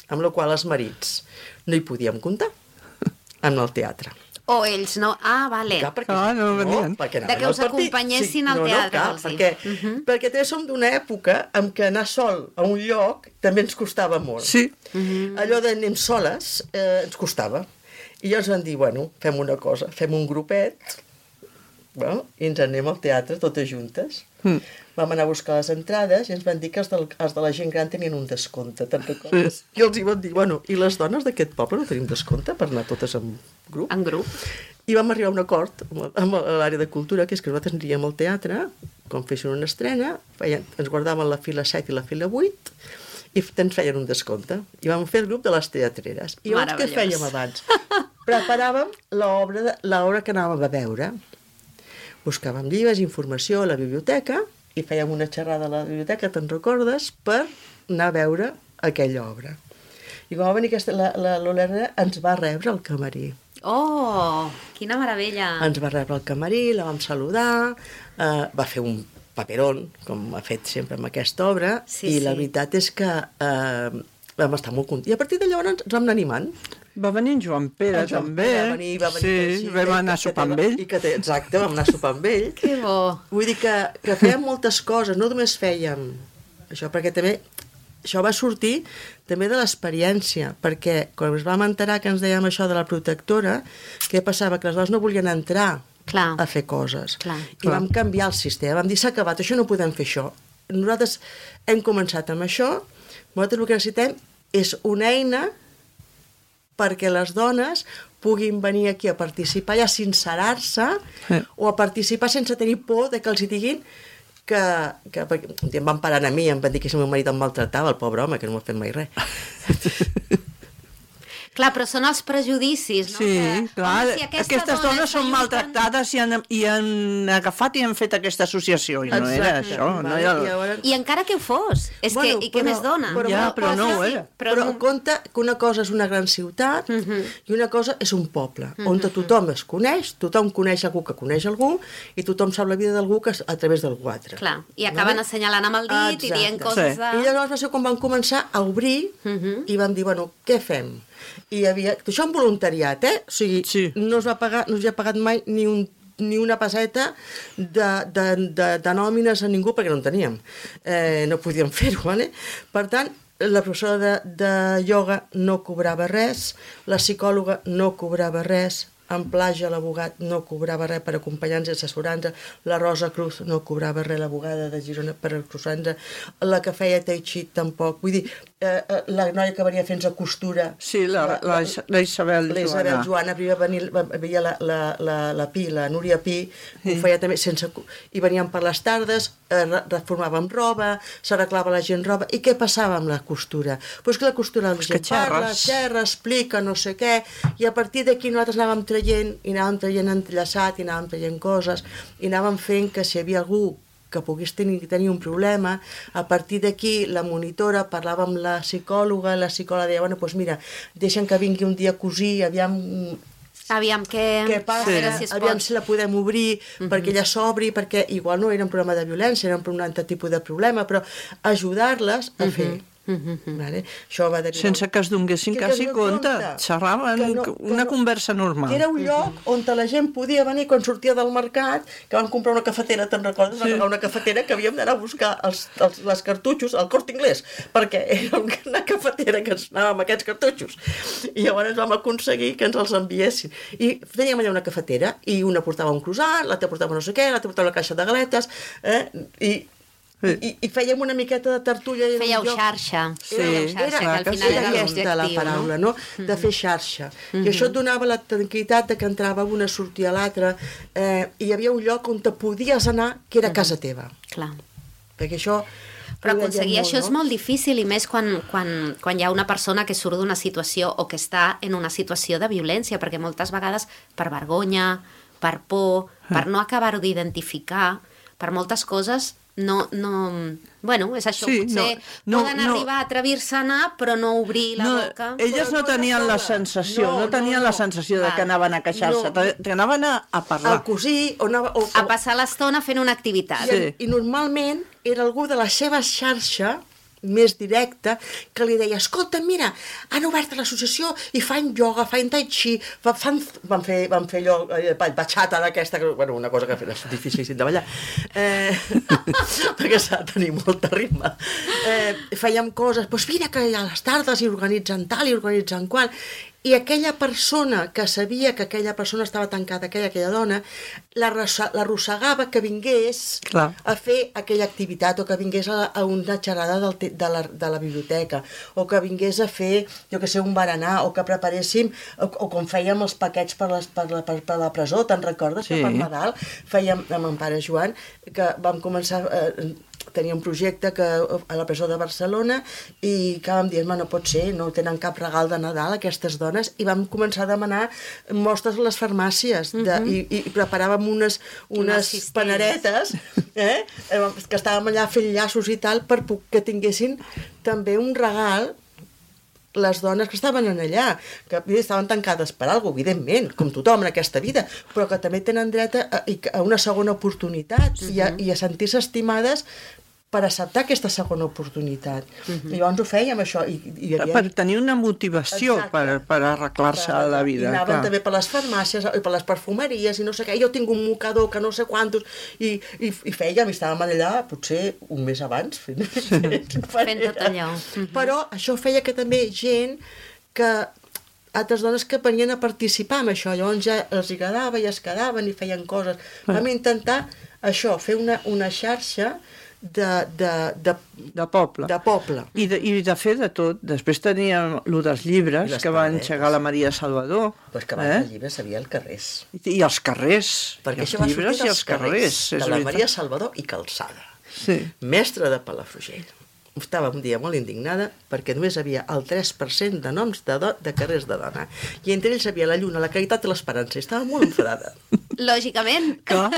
amb la qual els marits no hi podíem comptar en el teatre. O ells no... Ah, vale. Clar, perquè, Ah, no venien. perquè De anaven que al us partit. acompanyessin al no, teatre, No, clar, vols dir. perquè, Uh -huh. perquè també som d'una època en què anar sol a un lloc també ens costava molt. Sí. Uh -huh. Allò d'anem soles eh, ens costava. I llavors van dir, bueno, fem una cosa, fem un grupet, bueno, i ens anem al teatre totes juntes. Mm. Vam anar a buscar les entrades i ens van dir que els, del, els de la gent gran tenien un descompte, te'n recordes? I els hi van dir, bueno, i les dones d'aquest poble no tenim descompte per anar totes en grup? En grup. I vam arribar a un acord amb, amb l'àrea de cultura, que és que nosaltres aniríem al teatre, quan fessin una estrena, feien, ens guardaven la fila set i la fila vuit, i ens feien un descompte. I vam fer el grup de les teatreres. I llavors què fèiem abans? Preparàvem l'obra l'obra que anàvem a veure. Buscàvem llibres, informació a la biblioteca i fèiem una xerrada a la biblioteca, te'n recordes, per anar a veure aquella obra. I quan va venir aquesta, la, la Lola ens va rebre al camarí. Oh, quina meravella! Ens va rebre al camarí, la vam saludar, eh, va fer un paperón, com ha fet sempre amb aquesta obra, sí, i sí. la veritat és que eh, vam estar molt contents. I a partir de llavors ens vam anar animant. Va venir en Joan Pere, en Joan també. Pere va venir, va venir sí, així, vam anar a sopar amb ell. I que té, exacte, vam anar a sopar amb ell. Que bo! Vull dir que, que fèiem moltes coses, no només fèiem això, perquè també això va sortir també de l'experiència, perquè quan ens vam enterar que ens dèiem això de la protectora, què passava? Que les dones no volien entrar Clar. a fer coses. Clar. I Clar. vam canviar el sistema, vam dir s'ha acabat, això no podem fer això. Nosaltres hem començat amb això, nosaltres el que necessitem és una eina perquè les dones puguin venir aquí a participar i a sincerar-se Sí. o a participar sense tenir por de que els hi diguin que, que perquè, em van parar a mi, em van dir que si el meu marit em maltratava, el pobre home, que no m'ha fet mai res. Clar, però són els prejudicis, no? Sí, que, clar, home, si aquesta aquestes dona dones està són lluitant- maltractades i han, i han agafat i han fet aquesta associació, i no era Exacte. això. No Vale, era... i llavors- I encara que ho fos, és Bueno, que, i què però- més dona? però- Ja, però no ho sí, era. Però, Però no... compte que una cosa és una gran ciutat uh -huh. i una cosa és un poble, uh -huh. on tothom es coneix, tothom coneix algú que coneix algú i tothom sap la vida d'algú que és a través d'algú altre. Clar, i acaben Vale? assenyalant amb el dit i dient Exacte. coses Sí. de... I llavors va ser quan vam començar a obrir uh -huh. i vam dir, bueno, què fem? I hi havia... Això en voluntariat, eh? O sigui, Sí. no es va pagar, no es ha pagat mai ni un ni una peseta de, de, de, de nòmines a ningú perquè no en teníem. Eh, no podíem fer-ho, ¿vale? Per tant, la professora de, de ioga no cobrava res, la psicòloga no cobrava res, en Plaja l'abogat no cobrava res per acompanyar-nos i assessorar-nos, la Rosa Cruz no cobrava res, l'abogada de Girona per acusar-nos, la que feia Tai Chi tampoc, vull dir, eh, eh, la noia que venia fent-nos costura, Sí, la, la, la Isabel la Isabel Joana. Joana, primer venir, veia la, la, la, la Pi, la Núria Pi, Sí. ho feia també sense... I venien per les tardes, eh, re- reformàvem roba, s'arreglava la gent roba, i què passava amb la costura? Doncs pues que la costura la Pues gent que parla, xerres. xerra, explica, no sé què, i a partir d'aquí nosaltres anàvem traient, i anàvem traient entrellaçat, i anàvem traient coses, i anàvem fent que si hi havia algú que pogués tenir, tenir un problema, a partir d'aquí la monitora parlava amb la psicòloga, la psicòloga deia, bueno, doncs mira, deixen que vingui un dia a cosir, aviam Aviam què... què passa, a veure si es aviam pot. si la podem obrir, uh -huh. perquè ella s'obri, perquè igual no era un problema de violència, era un altre tipus de problema, però ajudar-les a uh -huh. fer. Uh -huh. Vale? Això va derivar... Sense que es donessin Que quasi es compte. compte. Xerraven Que no- que que una no- conversa normal. Que era un lloc on la gent podia venir quan sortia del mercat, que van comprar una cafetera, te'n recordes? Van agafar una cafetera que havíem d'anar a buscar els, els, les cartutxos al Corte Inglés, perquè era una cafetera que ens anàvem amb aquests cartutxos. I llavors vam aconseguir que ens els enviessin. I teníem allà una cafetera, i una portava un croissant, l'altra portava no sé què, l'altra portava una caixa de galetes, eh? I, i, i fèiem una miqueta de tertúlia. i era un Fèieu lloc- xarxa. Sí, Fèieu xarxa, era- que al que final sí, era aquesta l'objectiu, la paraula, no? De fer xarxa. I això et donava la tranquil·litat de que entrava una, sortia l'altra, eh, i hi havia un lloc on te podies anar, que era casa teva. Clar. Perquè això... Però ho veiem aconseguir molt, això és no? molt difícil, i més quan, quan, quan hi ha una persona que surt d'una situació o que està en una situació de violència, perquè moltes vegades per vergonya, per por, per no acabar-ho d'identificar, per moltes coses, no, no... Bueno, és això, Sí, potser no, no, poden no. arribar a atrevir-se a anar, però no obrir la No, boca. elles Però no no tenien la sola. sensació, No, no, tenien no, la no. sensació de Val. que anaven a queixar-se, No. te- que anaven a, a parlar. Al cosir, o anava... O, A passar l'estona fent una activitat. I, Sí. I normalment era algú de la seva xarxa més directa, que li deia, escolta, mira, han obert l'associació i fan ioga, fan tai chi, fa, fan, van fer, van fer allò, eh, batxata d'aquesta, que, bueno, una cosa que és difícil de ballar, eh, perquè s'ha de tenir molta ritme. Eh, fèiem coses, doncs mira que a les tardes hi organitzen tal, i organitzen qual, i aquella persona que sabia que aquella persona estava tancada, aquella, aquella dona, l'arrossegava que vingués Clar. a fer aquella activitat, o que vingués a, a una xerrada del, te- de, la, de la biblioteca, o que vingués a fer, jo que sé, un berenar, o que preparéssim, o, o com fèiem els paquets per, les, per, la, per, per la presó, te'n recordes? Sí. Que per Nadal fèiem amb en pare Joan, que vam començar... Eh, tenia un projecte que, a la presó de Barcelona i que vam dir, no pot ser, no tenen cap regal de Nadal aquestes dones, i vam començar a demanar mostres a les farmàcies de, uh -huh. i, i preparàvem unes, unes paneretes eh, que estàvem allà fent llaços i tal per que tinguessin també un regal les dones que estaven allà, que estaven tancades per alguna cosa, evidentment, com tothom en aquesta vida, però que també tenen dret a, a una segona oportunitat uh -huh. i, a, i a sentir-se estimades per acceptar aquesta segona oportunitat. Uh-huh. I llavors ho fèiem, això. I, i havia... Per tenir una motivació per, per arreglar-se a la vida. I anaven clar. també per les farmàcies, i per les perfumeries, i no sé què. Jo tinc un mocador que no sé quantos, i, i, i fèiem, i estàvem allà, potser un mes abans, fent, fent, fent tot allò. Uh-huh. Però això feia que també gent que altres dones que venien a participar en això, llavors ja els agradava i es quedaven i feien coses. Vam intentar això, fer una, una xarxa de, de, de, de poble. De poble. I de, i de fer de tot. Després teníem el dels llibres, que va engegar la Maria Salvador. Però és que abans eh? els llibres havia el carrers. I, i els carrers. Perquè I els això va llibres sortir dels carrers, carrers de la veritat. Maria Salvador i Calçada. Sí. Mestre de Palafrugell. Estava un dia molt indignada perquè només havia el tres per cent de noms de, do, de carrers de dona. I entre ells havia la Lluna, la Caritat i l'Esperança. I estava molt enfadada. Lògicament. Clar.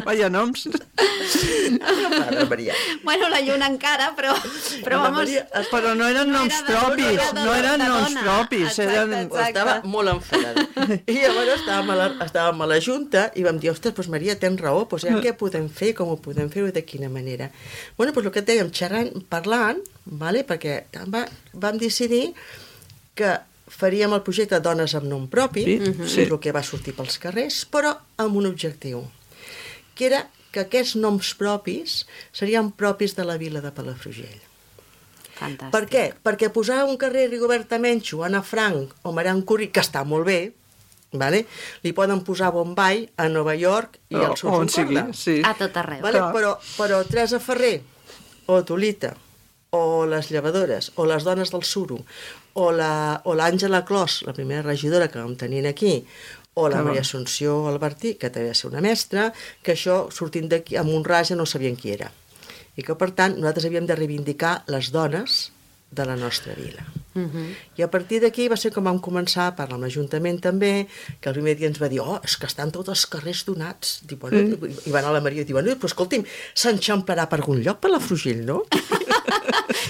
Vaya noms. Mare, Maria. Bueno, la Lluna encara, però... Però, vamos, Maria, però no eren noms no propis. No, no eren noms propis. Exacte, eren... exacte. Estava molt enfadada. I llavors estàvem a la, estàvem a la Junta i vam dir, ostres, doncs Maria, tens raó, doncs ja què podem fer, com ho podem fer i de quina manera. Bueno, doncs el que et dèiem, xerrant, parlant, vale? Perquè va, vam decidir que faríem el projecte Dones amb nom propi, sí, uh-huh. sí. el que va sortir pels carrers, però amb un objectiu, que era que aquests noms propis serien propis de la vila de Palafrugell. Fantàstic. Per què? Perquè posar un carrer Rigoberta Menchú, Anna Frank o Marian Curri, que està molt bé, vale? Li poden posar Bombay a Nova York i al sud Concorda. Sí. A tot arreu. Vale? Però, però Teresa Ferrer o Tolita o les llevadores o les dones del Suro o l'Àngela Clos, la primera regidora que vam tenir aquí, o la Maria Assumpció Albertí, que també va ser una mestra, que això, sortint d'aquí, amb un raja, no sabien qui era. I que, per tant, nosaltres havíem de reivindicar les dones de la nostra vila. Uh-huh. I a partir d'aquí va ser com vam començar a parlar amb l'Ajuntament també, que el primer dia ens va dir, oh, és que estan tots els carrers donats. Diu, bueno, mm. I va anar a la Maria i diu, bueno, però escolti'm, s'enxamparà per algun lloc per la Frugell, no?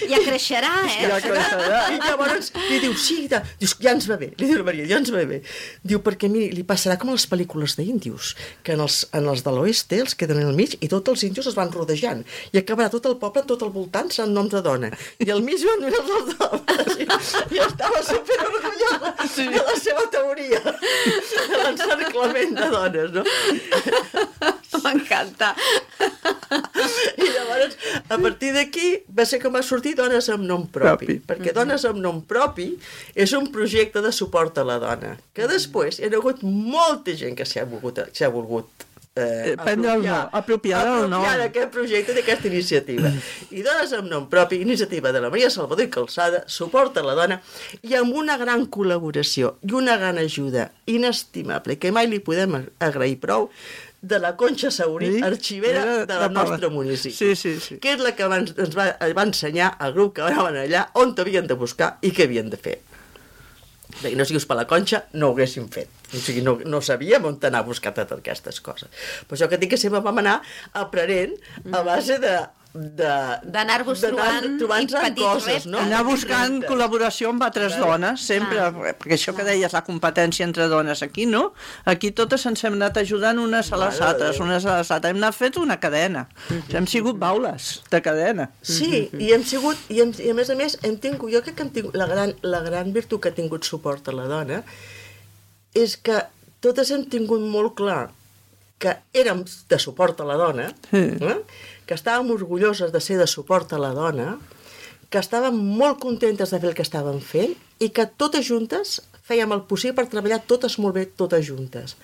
Ja creixerà, eh? Ja creixerà. I llavors li diu, sí, da. Dius, ja ens va bé. Li diu la Maria, ja ens va bé. Diu, perquè miri, li passarà com a les pel·lícules d'índios, que en els, en els de l'oeste els queden al mig i tots els índios es van rodejant. I acabarà tot el poble, tot al voltant, en nom de dona. I al mig van mirar els dones. I, i estava super orgullosa sí. de la seva teoria de l'encerclament de dones, no? M'encanta. I llavors, a partir d'aquí, va ser com va sortir Dones amb nom propi, propi. perquè Dones amb nom propi és un projecte de suport a la dona, que després hi ha hagut molta gent que s'ha volgut, s'ha volgut eh, prendre el nom, apropiar el nom. Apropiar d'aquest projecte, d'aquesta iniciativa. I Dones amb nom propi, iniciativa de la Maria Salvador i Calçada, suport a la dona, i amb una gran col·laboració i una gran ajuda inestimable, que mai li podem agrair prou, de la Conxa Saurí, sí? arxivera de la nostre municipi, sí, sí, sí. que és la que ens va, va ensenyar al grup que anaven allà on havien de buscar i què havien de fer. Bé, no siguis per la Conxa, no ho haguéssim fet. O sigui, no, no sabíem on anar a buscar totes aquestes coses. Però això que dic que sempre vam anar aprenent a base de d'anar-vos trobant petits coses, no? Anar buscant col·laboració amb altres clar, dones, sempre, clar, perquè això clar. que deies, la competència entre dones, aquí no, aquí totes ens hem anat ajudant unes a les altres, unes a les altres, hem anat fet una cadena, mm-hmm. hem sigut baules de cadena. Sí, mm-hmm. i hem sigut, i, hem, i a més a més, hem tingut, jo crec que hem tingut, la gran, la gran virtut que ha tingut suport a la dona és que totes hem tingut molt clar que érem de suport a la dona, mm. eh? que estàvem orgulloses de ser de suport a la dona, que estàvem molt contentes de fer el que estàvem fent i que totes juntes fèiem el possible per treballar totes molt bé, totes juntes.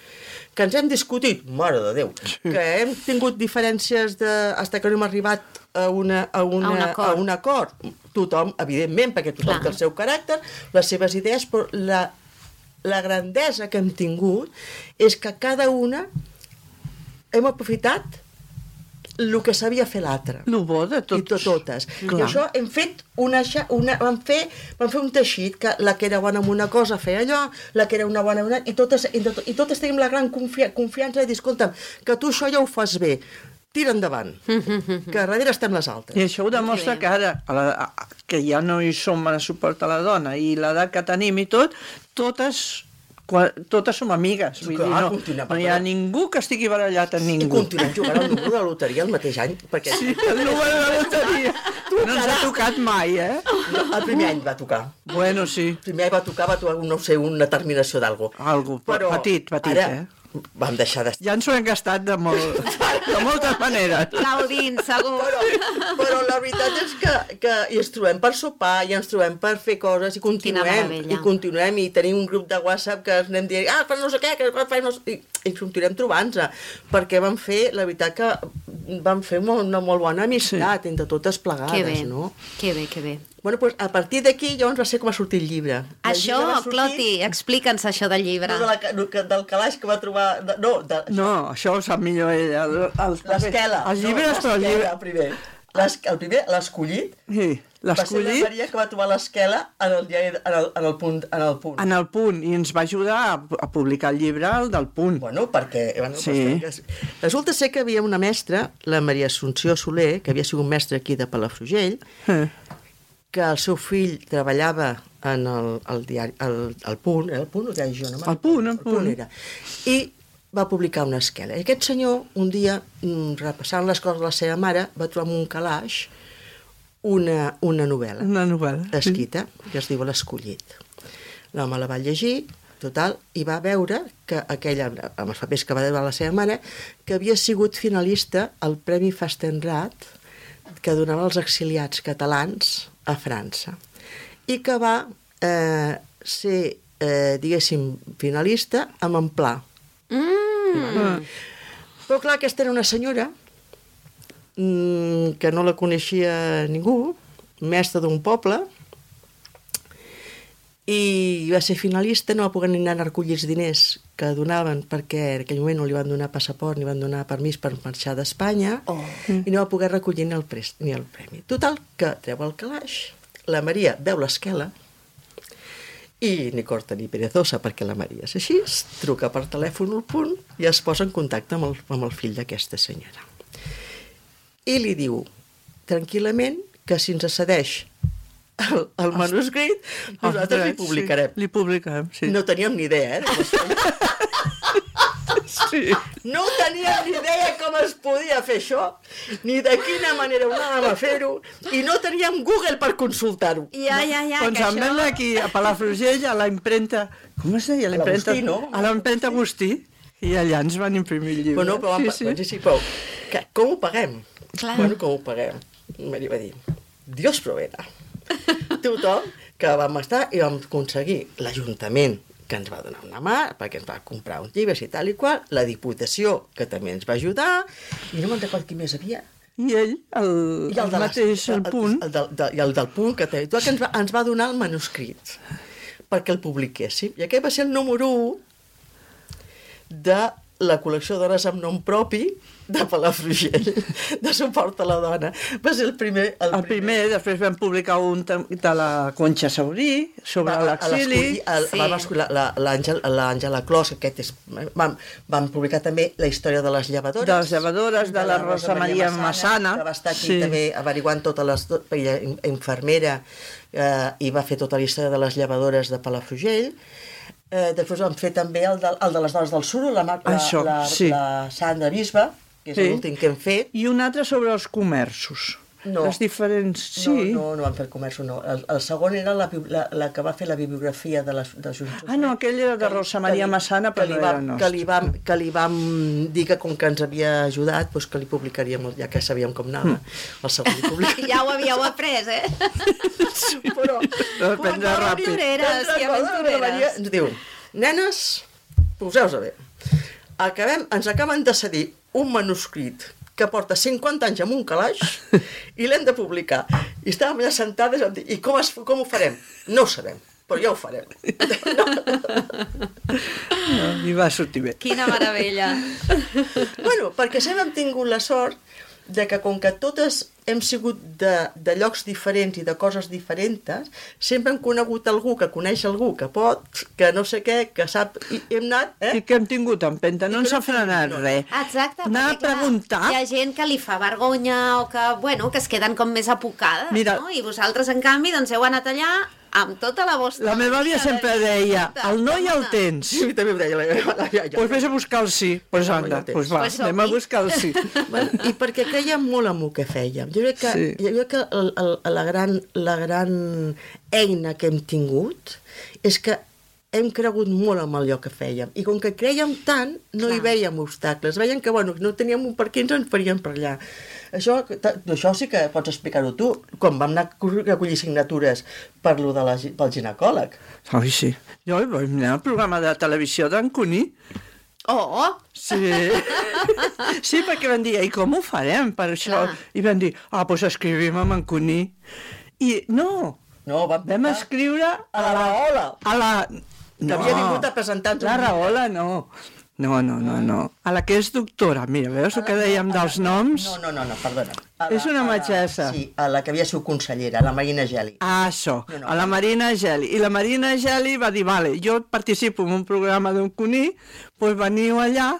Que ens hem discutit, mare de Déu, que hem tingut diferències de, fins que no hem arribat a, una, a, una, a, un, acord. a un acord. Tothom, evidentment, perquè tothom Clar. té el seu caràcter, les seves idees, però la, la grandesa que hem tingut és que cada una hem aprofitat el que sabia fer l'altre. El bo de tots. I to totes. Clar. I això hem fet una, una vam, fer, vam fer un teixit, que la que era bona en una cosa feia allò, la que era una bona en una... I totes, i, tot, i totes tenim la gran confi confiança de dir, escolta'm, que tu això ja ho fas bé, tira endavant, que darrere estem les altres. I això ho demostra que ara, a la, a, que ja no hi som a suport a la dona, i l'edat que tenim i tot, totes... Quan, totes som amigues, vull Clar, dir, no, no hi ha ningú que estigui barallat amb ningú. I continuem jugant al número de la loteria el mateix any, perquè... Sí, el número de la loteria. No ens ha tocat mai, eh? No, el primer any va tocar. Bueno, sí. El primer any va tocar, va tocar, no sé, una terminació d'algo. Algo, però petit, petit, ara, eh? Vam deixar de... Ja ens ho hem gastat de, molt, de moltes maneres. Gaudint, segur. Però, però la veritat és que, que i ens trobem per sopar, i ens trobem per fer coses, i continuem, i continuem, i tenim un grup de WhatsApp que ens anem dient, ah, fa no sé què, que fa no sé... I, i continuem trobant-nos, perquè vam fer, la veritat que vam fer molt, una molt bona amistat, sí, entre totes plegades, que bé, no? Que bé, que bé. Bueno, doncs, a partir d'aquí llavors va ser com a sortir el llibre. El això, llibre sortir... Cloti, explica'ns això del llibre. No, de la, del calaix que va trobar... De, no, de, no, això ho sap millor ella. L'esquela. Els llibres, no, però el llibre... primer. Les, el primer, l'escollit. Sí, l'escollit. Va ser la Maria que va trobar l'esquela en, el, en, el, en, el punt, en el punt. En el punt, i ens va ajudar a, a publicar el llibre el del punt. Bueno, perquè... Bueno, sí. Pues, resulta ser que havia una mestra, la Maria Assumpció Soler, que havia sigut mestra aquí de Palafrugell, eh. que el seu fill treballava en el, el diari, el, el Punt, era el Punt o diari Girona? El Punt, el Punt. Era. I va publicar una esquela. I aquest senyor, un dia, repassant les coses de la seva mare, va trobar en un calaix una, una novel·la. Una novel·la. Escrita, sí, que es diu L'Escollit. L'home la va llegir, total, i va veure que aquella, amb els papers que va veure la seva mare, que havia sigut finalista al Premi Fastenrath, que donava als exiliats catalans a França, i que va eh, ser, eh, diguéssim, finalista amb en Pla. Mm. Mm. Però clar, aquesta era una senyora mm, que no la coneixia ningú, mestra d'un poble, i va ser finalista, no va poder anar a recollir els diners que donaven, perquè en aquell moment no li van donar passaport ni van donar permís per marxar d'Espanya, oh. i no va poder recollir ni el, prest, ni el premi. Total, que treu el calaix, la Maria veu l'esquela, i ni corta ni perezosa, perquè la Maria és així, truca per telèfon al Punt i es posa en contacte amb el, amb el fill d'aquesta senyora. I li diu, tranquil·lament, que si ens cedeix el, el manuscrit, nosaltres li publicarem. Sí, li publicarem, sí. No teníem ni idea, eh? Sí. No teníem ni idea com es podia fer això, ni de quina manera ho anàvem a fer-ho, i no teníem Google per consultar-ho. Ja, ja, ja, doncs que em això... vam aquí a Palafrugell, a la impremta... Com es deia? L'Agustí, no? A la impremta Agustí, i allà ens van imprimir el llibre. Bueno, però, sí, sí. sí, sí, però que, com ho paguem? Clar. Bueno, com ho paguem? Maria va dir, Dios provena. Tothom que vam estar i vam aconseguir l'Ajuntament, que ens va donar una mà, perquè ens va comprar uns llibres i tal i qual, la Diputació, que també ens va ajudar, i no me'n recordo qui més havia. I ell, el, I el, el de mateix, el, el Punt. El, el, el, I el del Punt, que, que ens, va, ens va donar el manuscrit perquè el publiquéssim. I aquest va ser el número u de la col·lecció d'hores amb nom propi de Palafrugell, de suport a la dona. Va ser el primer... El, el primer, primer, després vam publicar un de la Conxa Saurí, sobre l'exili. Sí. L'Àngela Clos, aquest és... Vam, vam publicar també la història de les llevadores. De les llevadores, de, de la, la Rosa Maria Massana. Que va estar aquí sí. també averiguant totes les... Ella, infermera, eh, i va fer tota la història de les llevadores de Palafrugell. Eh, després vam fer també el de, el de les dones del suro, la, la, Això, la, sí. la Sandra Bisba, que és sí. l'últim que hem fet. I un altre sobre els comerços. No. Les diferents... Sí. No, no, no vam fer el comerç, no. El, el segon era la, la, la que va fer la bibliografia de les de Junts. Ah, no, aquell era de Rosa Maria Massana, però no era nostre. Que li, vam, que li vam dir que com que ens havia ajudat, doncs que li publicaríem, ja que sabíem com anava, el segon li publicaríem. Ja ho havíeu après, eh? Sí, però... Depèn ràpid. Aventureres, i aventureres. Ens diu, nenes, poseu-vos bé. Acabem, ens acaben de cedir un manuscrit que porta cinquanta anys en un calaix i l'hem de publicar. I estàvem allà sentades i com, es, com ho farem? No ho sabem, però ja ho farem. No. No, I va sortir bé. Quina meravella. Bueno, perquè sempre hem tingut la sort de que com que totes hem sigut de, de llocs diferents i de coses diferents, sempre hem conegut algú que coneix algú que pot, que no sé què, que sap, i hem anat... Eh? I que hem tingut empenta, no ens ha frenat res. Exacte, anar a preguntar... Hi ha gent que li fa vergonya o que, bueno, que es queden com més apocades, Mira, no? I vosaltres, en canvi, doncs heu anat allà amb tota la vostra... La meva àvia sempre deia, el no ja el tens. Sí, també em deia la meva àvia. Doncs pues vés a buscar el sí. Doncs pues anda, doncs pues va, pues anem a buscar el sí. Bueno, i perquè creiem molt en el que fèiem. Jo crec que, sí. jo crec que el, el, la, gran, la gran eina que hem tingut és que hem cregut molt en allò que fèiem. I com que creiem tant, no Clar. hi veiem obstacles. Veiem que, bueno, no teníem un per què ens en faríem per allà. Això, això sí que pots explicar-ho tu. Quan vam anar a recollir signatures per lo de la, pel ginecòleg. Ai, sí. Jo vaig anar al programa de televisió d'en Cuní. Oh! Sí. Sí, perquè van dir, i com ho farem per això? Clar. I van dir, ah, doncs pues escrivim amb en Cuní. I no, no vam, vam escriure a la Rahola. A la... Que no, havia vingut a presentar-nos. La Rahola no. No, no, no, no. A la que és doctora. Mira, veus el que dèiem dels noms? No, no, no, no perdona. La, és una metgessa. Sí, a la que havia sigut consellera, la Marina Geli. Ah, això, no, no. a la Marina Geli. I la Marina Geli va dir, vale, jo participo en un programa d'un Cuní, doncs veniu allà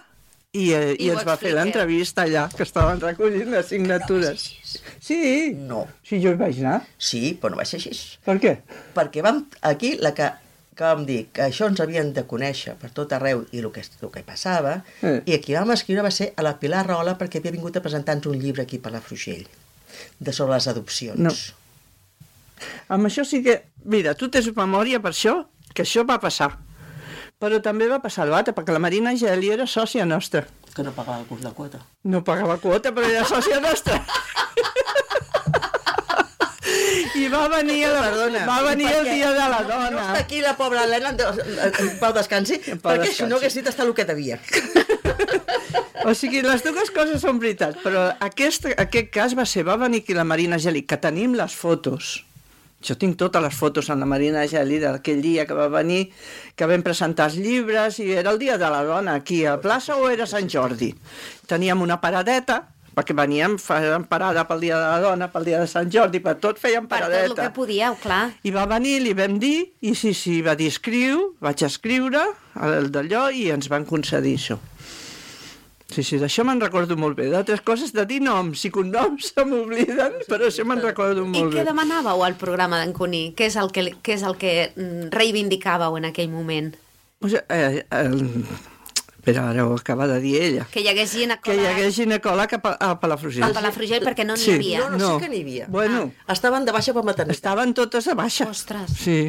i, eh, i, i ens va fer l'entrevista allà, que estaven recollint les signatures. Sí. No. Sí, jo hi vaig anar. Sí, però no va ser així. Per què? Perquè vam, aquí, la que... que vam dir que això ens havien de conèixer per tot arreu i el que, el que passava, eh. i aquí vam escriure va ser a la Pilar Rahola perquè havia vingut a presentar-nos un llibre aquí per la Frugell, de sobre les adopcions. No. Amb això sí que... Mira, tu tens memòria per això, que això va passar. Però també va passar l'altre, perquè la Marina Geli era sòcia nostra. Que no pagava el curs de quota. No pagava quota, però era sòcia nostra. I va venir, la, Perdona, va venir el dia de la dona. No està aquí la pobra Helena, en pau descansi, en pau perquè descansi. Si no hagués dit estar el que devia. O sigui, les dues coses són veritat, però aquest, aquest cas va ser, va venir aquí la Marina Geli, que tenim les fotos. Jo tinc totes les fotos amb la Marina Geli d'aquell dia que va venir, que vam presentar els llibres, i era el dia de la dona aquí a plaça o era Sant Jordi. Teníem una paradeta, perquè veníem, fèiem parada pel dia de la dona, pel dia de Sant Jordi, per tot fèiem paradeta. Per tot el que podíeu, clar. I va venir, li vam dir, i sí, sí, va dir escriu, vaig escriure el d'allò i ens van concedir això. Sí, sí, d'això me'n recordo molt bé. D'altres coses, de dir noms i cognoms se m'obliden, però això me'n recordo molt bé. I què demanàveu al programa d'en Cuní? Què és el que, què és el que reivindicàveu en aquell moment? Pues, eh, el... Però ara ho acaba de dir ella. Que hi hagués ginecòleg. Que hi hagués ginecòleg a Palafrugell. A Palafrugell perquè no n'hi sí. havia. No, no, no, sí que n'hi havia. Bueno, ah, estaven de baixa per maternitat. Estaven totes de baixa. Ostres. Sí.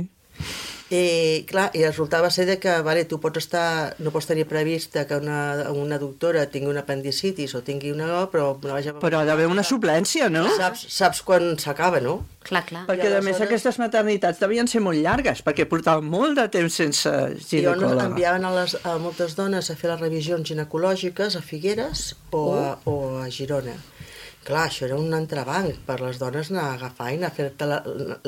I, clar, i resultava ser de que, vale, tu pots estar, no pots tenir prevista que una, una doctora tingui una apendicitis o tingui una... però una baixa... Però ha d'haver una suplència, no? Saps, saps quan s'acaba, no? Clar, clar. Perquè, a més, aquestes maternitats devien ser molt llargues, perquè portaven molt de temps sense ginecòloga. I enviaven a, les, a moltes dones a fer les revisions ginecològiques a Figueres o a, o a Girona. Clar, això era un entrebanc per les dones anar a agafar i anar a fer-te la,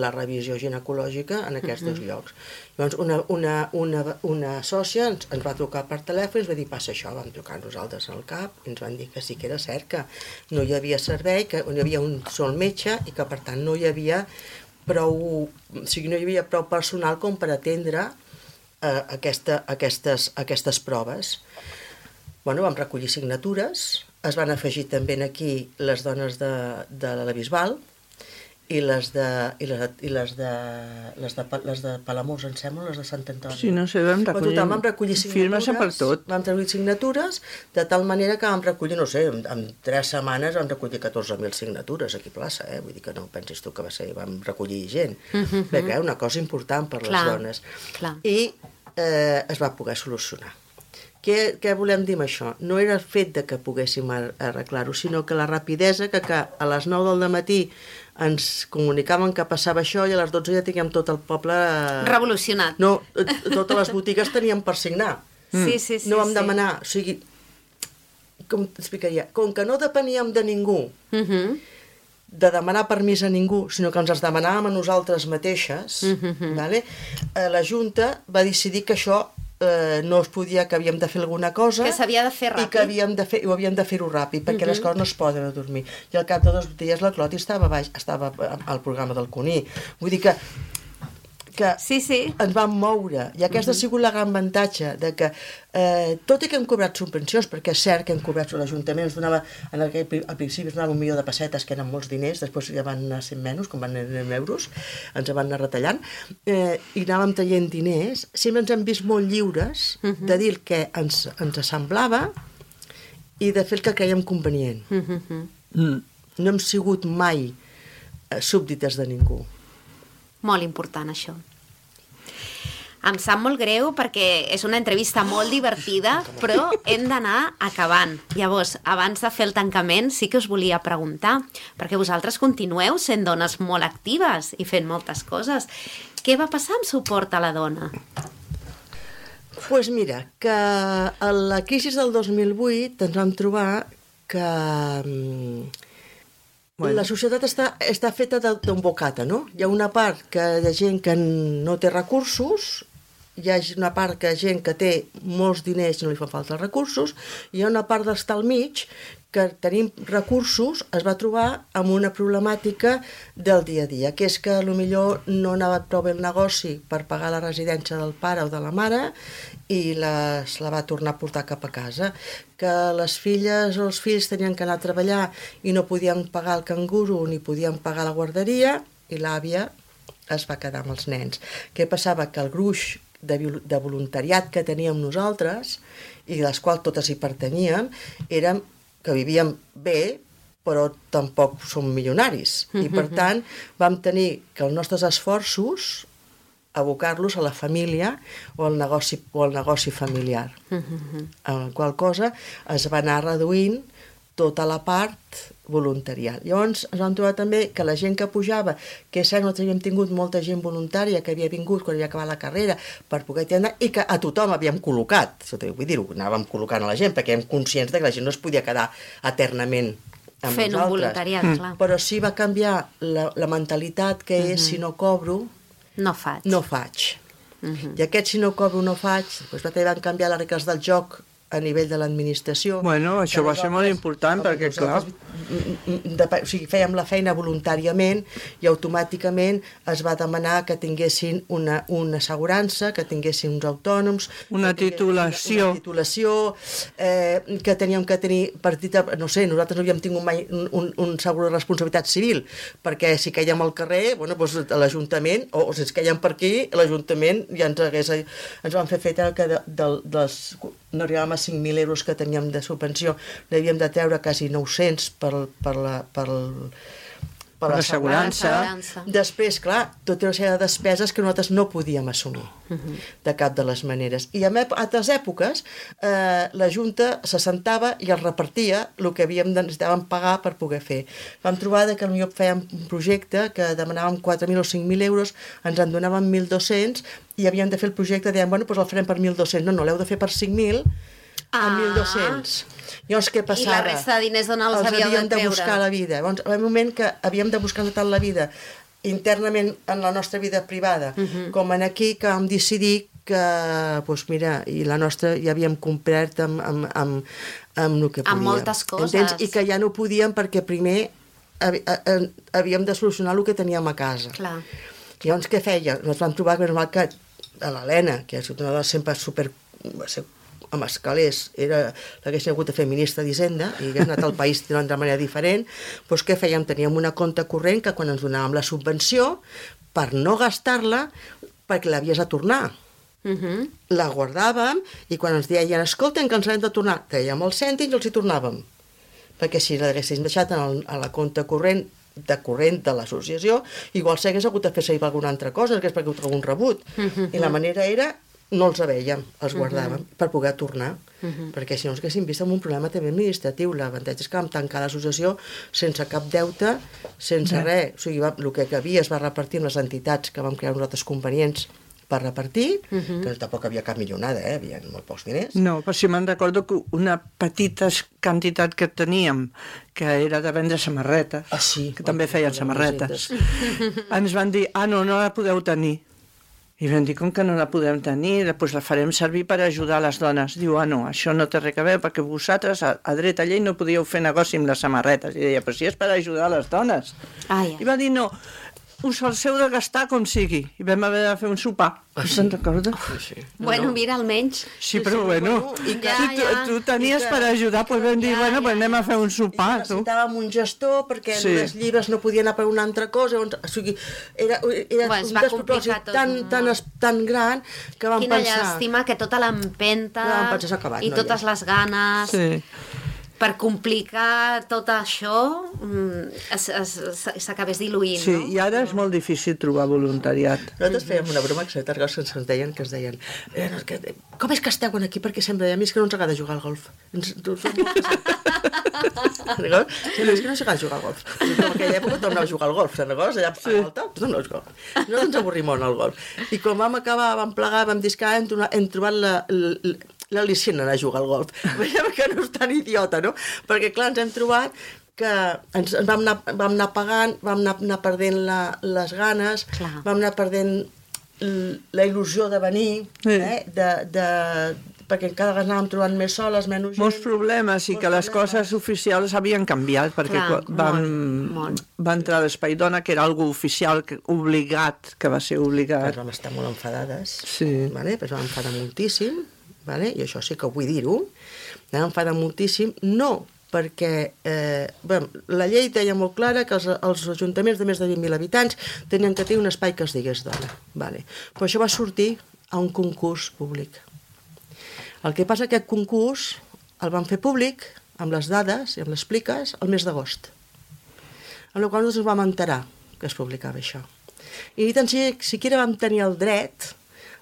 la revisió ginecològica en aquests uh-huh. dos llocs. Llavors, una, una, una, una sòcia ens, ens va trucar per telèfon i ens va dir, passa això, vam trucar nosaltres al cap i ens van dir que sí que era cert, que no hi havia servei, que no hi havia un sol metge i que, per tant, no hi havia prou, o sigui, no hi havia prou personal com per atendre eh, aquesta, aquestes, aquestes proves. Bueno, vam recollir signatures, es van afegir també aquí les dones de, de la Bisbal i les de, i les, i les de, les de, les de Palamós, em sembla, les de Sant Antoni. Sí, no sé, vam recollir, total, vam recollir signatures, per tot. Vam recollir signatures, de tal manera que vam recollir, no sé, en, en tres setmanes vam recollir catorze mil signatures aquí a plaça, eh? Vull dir que no pensis tu que va ser, vam recollir gent, uh-huh. perquè era una cosa important per clar, les dones. Clar. I eh, es va poder solucionar. Què, què volem dir amb això? No era el fet de que poguéssim arreglar-ho, sinó que la rapidesa que, que a les nou del matí ens comunicaven que passava això i a les dotze ja tinguem tot el poble... Revolucionat. No, totes les botigues tenien per signar. Sí, sí, sí. No vam sí. demanar, o sigui, com t'explicaria, com que no depeníem de ningú, uh-huh. de demanar permís a ningú, sinó que ens els demanàvem a nosaltres mateixes, uh-huh. vale? La Junta va decidir que això eh, no es podia, que havíem de fer alguna cosa... Que s'havia de fer ràpid. I que havíem de fer, ho havíem de fer-ho ràpid, perquè uh -huh. les coses no es poden dormir. I al cap de dos dies la Cloti estava baix, estava al programa del Cuní. Vull dir que que sí, sí. ens vam moure, i aquesta uh -huh. ha sigut la gran avantatge de que, eh, tot i que hem cobrat subvencions, perquè és cert que hem cobrat l'Ajuntament, ens donava, en el, al principi ens donava un milió de pessetes, que eren molts diners, després ja van anar sent menys, com van anar en euros, ens van anar retallant, eh, i anàvem traient diners, sempre ens hem vist molt lliures uh -huh. de dir el que ens, ens semblava i de fer el que creiem convenient. Uh -huh. mm. No hem sigut mai eh, súbdites de ningú. Molt important, això. Em sap molt greu perquè és una entrevista molt divertida, però hem d'anar acabant. Llavors, abans de fer el tancament, sí que us volia preguntar, perquè vosaltres continueu sent dones molt actives i fent moltes coses. Què va passar amb suport a la dona? Doncs pues mira, que a la crisi del dos mil vuit ens vam trobar que... Bueno. La societat està, està feta d'un bocata, no? Hi ha una part que de gent que no té recursos, hi ha una part que gent que té molts diners i no li fan falta recursos, i hi ha una part d'estar al mig que tenim recursos, es va trobar amb una problemàtica del dia a dia, que és que potser no anava prou bé el negoci per pagar la residència del pare o de la mare i les, la va tornar a portar cap a casa, que les filles o els fills tenien que anar a treballar i no podien pagar el canguro ni podien pagar la guarderia, i l'àvia es va quedar amb els nens. Què passava? Que el gruix de, de voluntariat que teníem nosaltres, i dels quals totes hi pertanyíem, érem que vivíem bé, però tampoc som milionaris. I per tant vam tenir que els nostres esforços abocar-los a la família o al negoci, o al negoci familiar. Amb la qual cosa es va anar reduint tota la part voluntarial. Llavors ens vam trobar també que la gent que pujava, que és cert, nosaltres havíem tingut molta gent voluntària que havia vingut quan havia acabat la carrera per poder anar, i que a tothom havíem col·locat, vull dir-ho, anàvem col·locant a la gent perquè érem conscients de que la gent no es podia quedar eternament amb fent nosaltres. un voluntariat, mm. clar. Però sí va canviar la, la mentalitat que és, mm-hmm. si no cobro, no faig. No faig. Mm-hmm. I aquest si no cobro no faig, doncs van canviar les regles del joc a nivell de l'administració. Bueno, això va ser molt important perquè, clar... De, o sigui, fèiem la feina voluntàriament i automàticament es va demanar que tinguessin una, una assegurança, que tinguessin uns autònoms... Una titulació. Una titulació, eh, que teníem que tenir partida... No sé, nosaltres no havíem tingut mai un, un, un segur de responsabilitat civil, perquè si caiem al carrer, bueno, doncs l'Ajuntament, o, o si ens caiem per aquí, l'Ajuntament ja ens hagués... Ens van fer feta que de, de, dels... no arribàvem a cinc mil euros que teníem de subvenció, n'havíem de treure quasi nou-cents per, per la per, per l'assegurança. Després, clar, tota una sèrie de despeses que nosaltres no podíem assumir uh-huh. de cap de les maneres. I en altres èpoques eh, la Junta se sentava i es repartia el que havíem de, necessitàvem pagar per poder fer. Vam trobar que potser fèiem un projecte que demanàvem quatre mil o cinc mil euros, ens en donaven mil dos-cents i havíem de fer el projecte, dèiem, bueno, doncs el farem per mil dos-cents. No, no, l'heu de fer per cinc mil a mil dos-cents. Llavors, què passava? I la resta de diners d'on els, els havíeu de treure? de buscar la vida. Llavors, en un moment que havíem de buscar tota la vida internament en la nostra vida privada, uh-huh. com en aquí, que vam decidir que, doncs mira, i la nostra ja havíem complert amb, amb, amb, amb el que podíem. Amb moltes coses. Entens? I que ja no podíem perquè primer havíem de solucionar el que teníem a casa. Clar. Llavors, què feia? Ens vam trobar que a l'Helena, que és una dona sempre super... amb escalers, era l'haguessin hagut de fer ministra d'Hisenda i hagués anat al país d'una altra manera diferent, doncs què fèiem? Teníem una compte corrent que quan ens donàvem la subvenció, per no gastar-la, perquè l'havies de tornar. Uh-huh. La guardàvem i quan ens deien, escolten, que ens l'hem de tornar, traiem els cèntims i els hi tornàvem. Perquè si l'haguéssim deixat en el, a la compte corrent de corrent de l'associació, igual s'hagués hagut de fer servir alguna altra cosa, hagués hagut algun rebut. Uh-huh. I la manera era no els veiem, els guardàvem uh-huh. per poder tornar, uh-huh. perquè si no ens haguéssim vist amb un problema també administratiu. L'avantatge és que vam tancar l'associació sense cap deute, sense yeah. res, o sigui, va, el que havia es va repartir amb les entitats que vam crear nosaltres convenients per repartir, uh-huh. que tampoc havia cap milionada, eh? Havia molt pocs diners. No, però si me'n recordo que una petita quantitat que teníem, que era de vendre samarretes, ah, sí. que també feien samarretes, ens van dir, ah, no, no la podeu tenir, I vam dir, com que no la podem tenir, doncs la farem servir per ajudar les dones. Diu, ah, no, això no té res a veure, perquè vosaltres a, a dret a llei no podíeu fer negoci amb les samarretes. I deia, però si és per ajudar les dones. Ai, ai. I va dir, no, us els heu de gastar com sigui. I vam haver de fer un sopar. Ah, sí? Se'n recorda? Ah, sí. Bueno, mira, almenys... Sí, però bueno, i si que- tu, ja, tu tenies i que- per ajudar, doncs vam dir, ja, bueno, ja, pues anem a fer un I sopar, tu. necessitàvem un gestor perquè Sí. les llibres no podien anar per una altra cosa. On, o sigui, era, era Bueno, es un va despropòsit complicar tot tan, molt. tan, es- tan gran que vam Quina pensar... llàstima que tota l'empenta Vam pensar, s'ha acabat, i noia. totes les ganes Sí. per complicar tot això mm, es- es- es- s'acabés diluint, Sí, no? i ara és molt difícil trobar voluntariat. Nosaltres fèiem una broma que s'ha targat que ens deien, que es deien eh, no, és que, com és que esteu aquí? Perquè sempre deia, a mi és que no ens agrada jugar al golf. Ens, tu, tu, D'acord? Sí, és que no ens agrada jugar al golf. I en aquella època tothom anava a jugar al golf, se'n recordes? Allà sí. a Alta, tothom anava a jugar al golf. No ens avorrim molt al golf. I quan vam acabar, vam plegar, vam dir que hem, hem trobat la, la, l'al·licient anar a jugar al golf. Veiem que no és tan idiota, no? Perquè, clar, ens hem trobat que ens, ens vam, anar, vam anar pagant, vam anar, anar perdent la, les ganes, Clar. vam anar perdent l- la il·lusió de venir, Sí. eh? de, de, perquè cada vegada anàvem trobant més soles, menys gent. Molts problemes i Molts que les problemes. coses oficials havien canviat perquè Clar, quan van, molt, molt. va entrar l'Espai Dona, que era algo oficial, que, obligat, que va ser Doncs obligat. vam estar molt enfadades, Sí. vale? Doncs vam enfadar moltíssim, vale? I això sí que vull dir-ho, vam enfadar moltíssim, no perquè eh, bé, la llei deia molt clara que els, els ajuntaments de més de vint mil habitants tenien que tenir un espai que es digués dona. Vale. Però això va sortir a un concurs públic. El que passa que aquest concurs el van fer públic amb les dades i amb les pliques el mes d'agost. Amb la qual cosa nosaltres ens vam enterar que es publicava això. I ni tan siquiera vam tenir el dret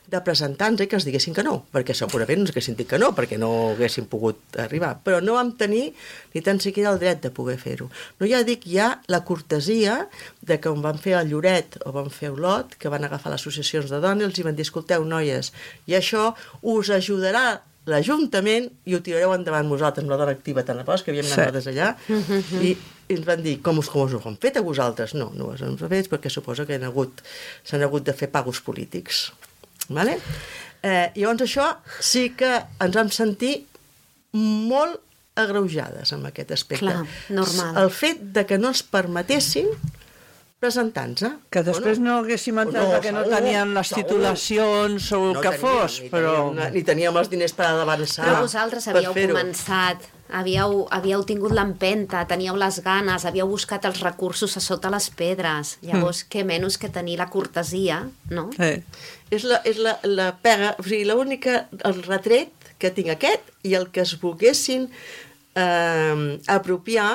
de presentar-nos i que ens diguessin que no, perquè segurament ens haguessin dit que no, perquè no haguessin pogut arribar. Però no vam tenir ni tan siquiera el dret de poder fer-ho. No ja dic ja la cortesia de que on van fer el Lloret o van fer Olot, que van agafar les associacions de dones, els hi van dir, escolteu, noies, i això us ajudarà l'Ajuntament i ho tirareu endavant vosaltres amb la dona activa tan a pas, que havíem anat nosaltres allà, i, i ens van dir, com us, com us ho han fet a vosaltres? No, no us ho han fet perquè suposa que han hagut, s'han hagut de fer pagos polítics. Vale? Eh, llavors això sí que ens vam sentir molt agreujades amb aquest aspecte. Clar, normal. El fet de que no ens permetessin presentar-nos. Que després no haguéssim entrat No, perquè no segur, teníem les segur. titulacions o el que teníem, fos, ni però... Teníem, ni teníem els diners per avançar. Però vosaltres per havíeu fer-ho. començat, havíeu, havíeu tingut l'empenta, teníeu les ganes, havíeu buscat els recursos a sota les pedres. Llavors, mm. què menys que tenir la cortesia, no? Eh. És la, és la, la pega, o sigui, l'única, el retret que tinc aquest i el que es volguessin eh, apropiar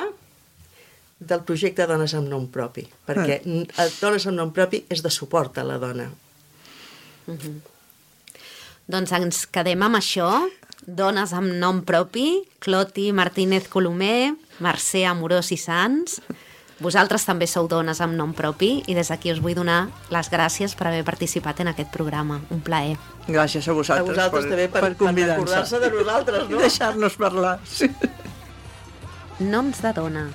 del projecte Dones amb nom propi, perquè ah. Dones amb nom propi és de suport a la dona. Mm-hmm. Doncs ens quedem amb això, dones amb nom propi, Cloti Martínez Colomer, Mercè Amorós i Sans. Vosaltres també sou dones amb nom propi i des d'aquí us vull donar les gràcies per haver participat en aquest programa. Un plaer. Gràcies a vosaltres, a vosaltres per, també per, per convidar-nos. Per recordar-se de nosaltres, no? I deixar-nos parlar. Sí. Noms de dona,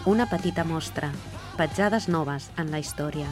una petita mostra, petjades noves en la història.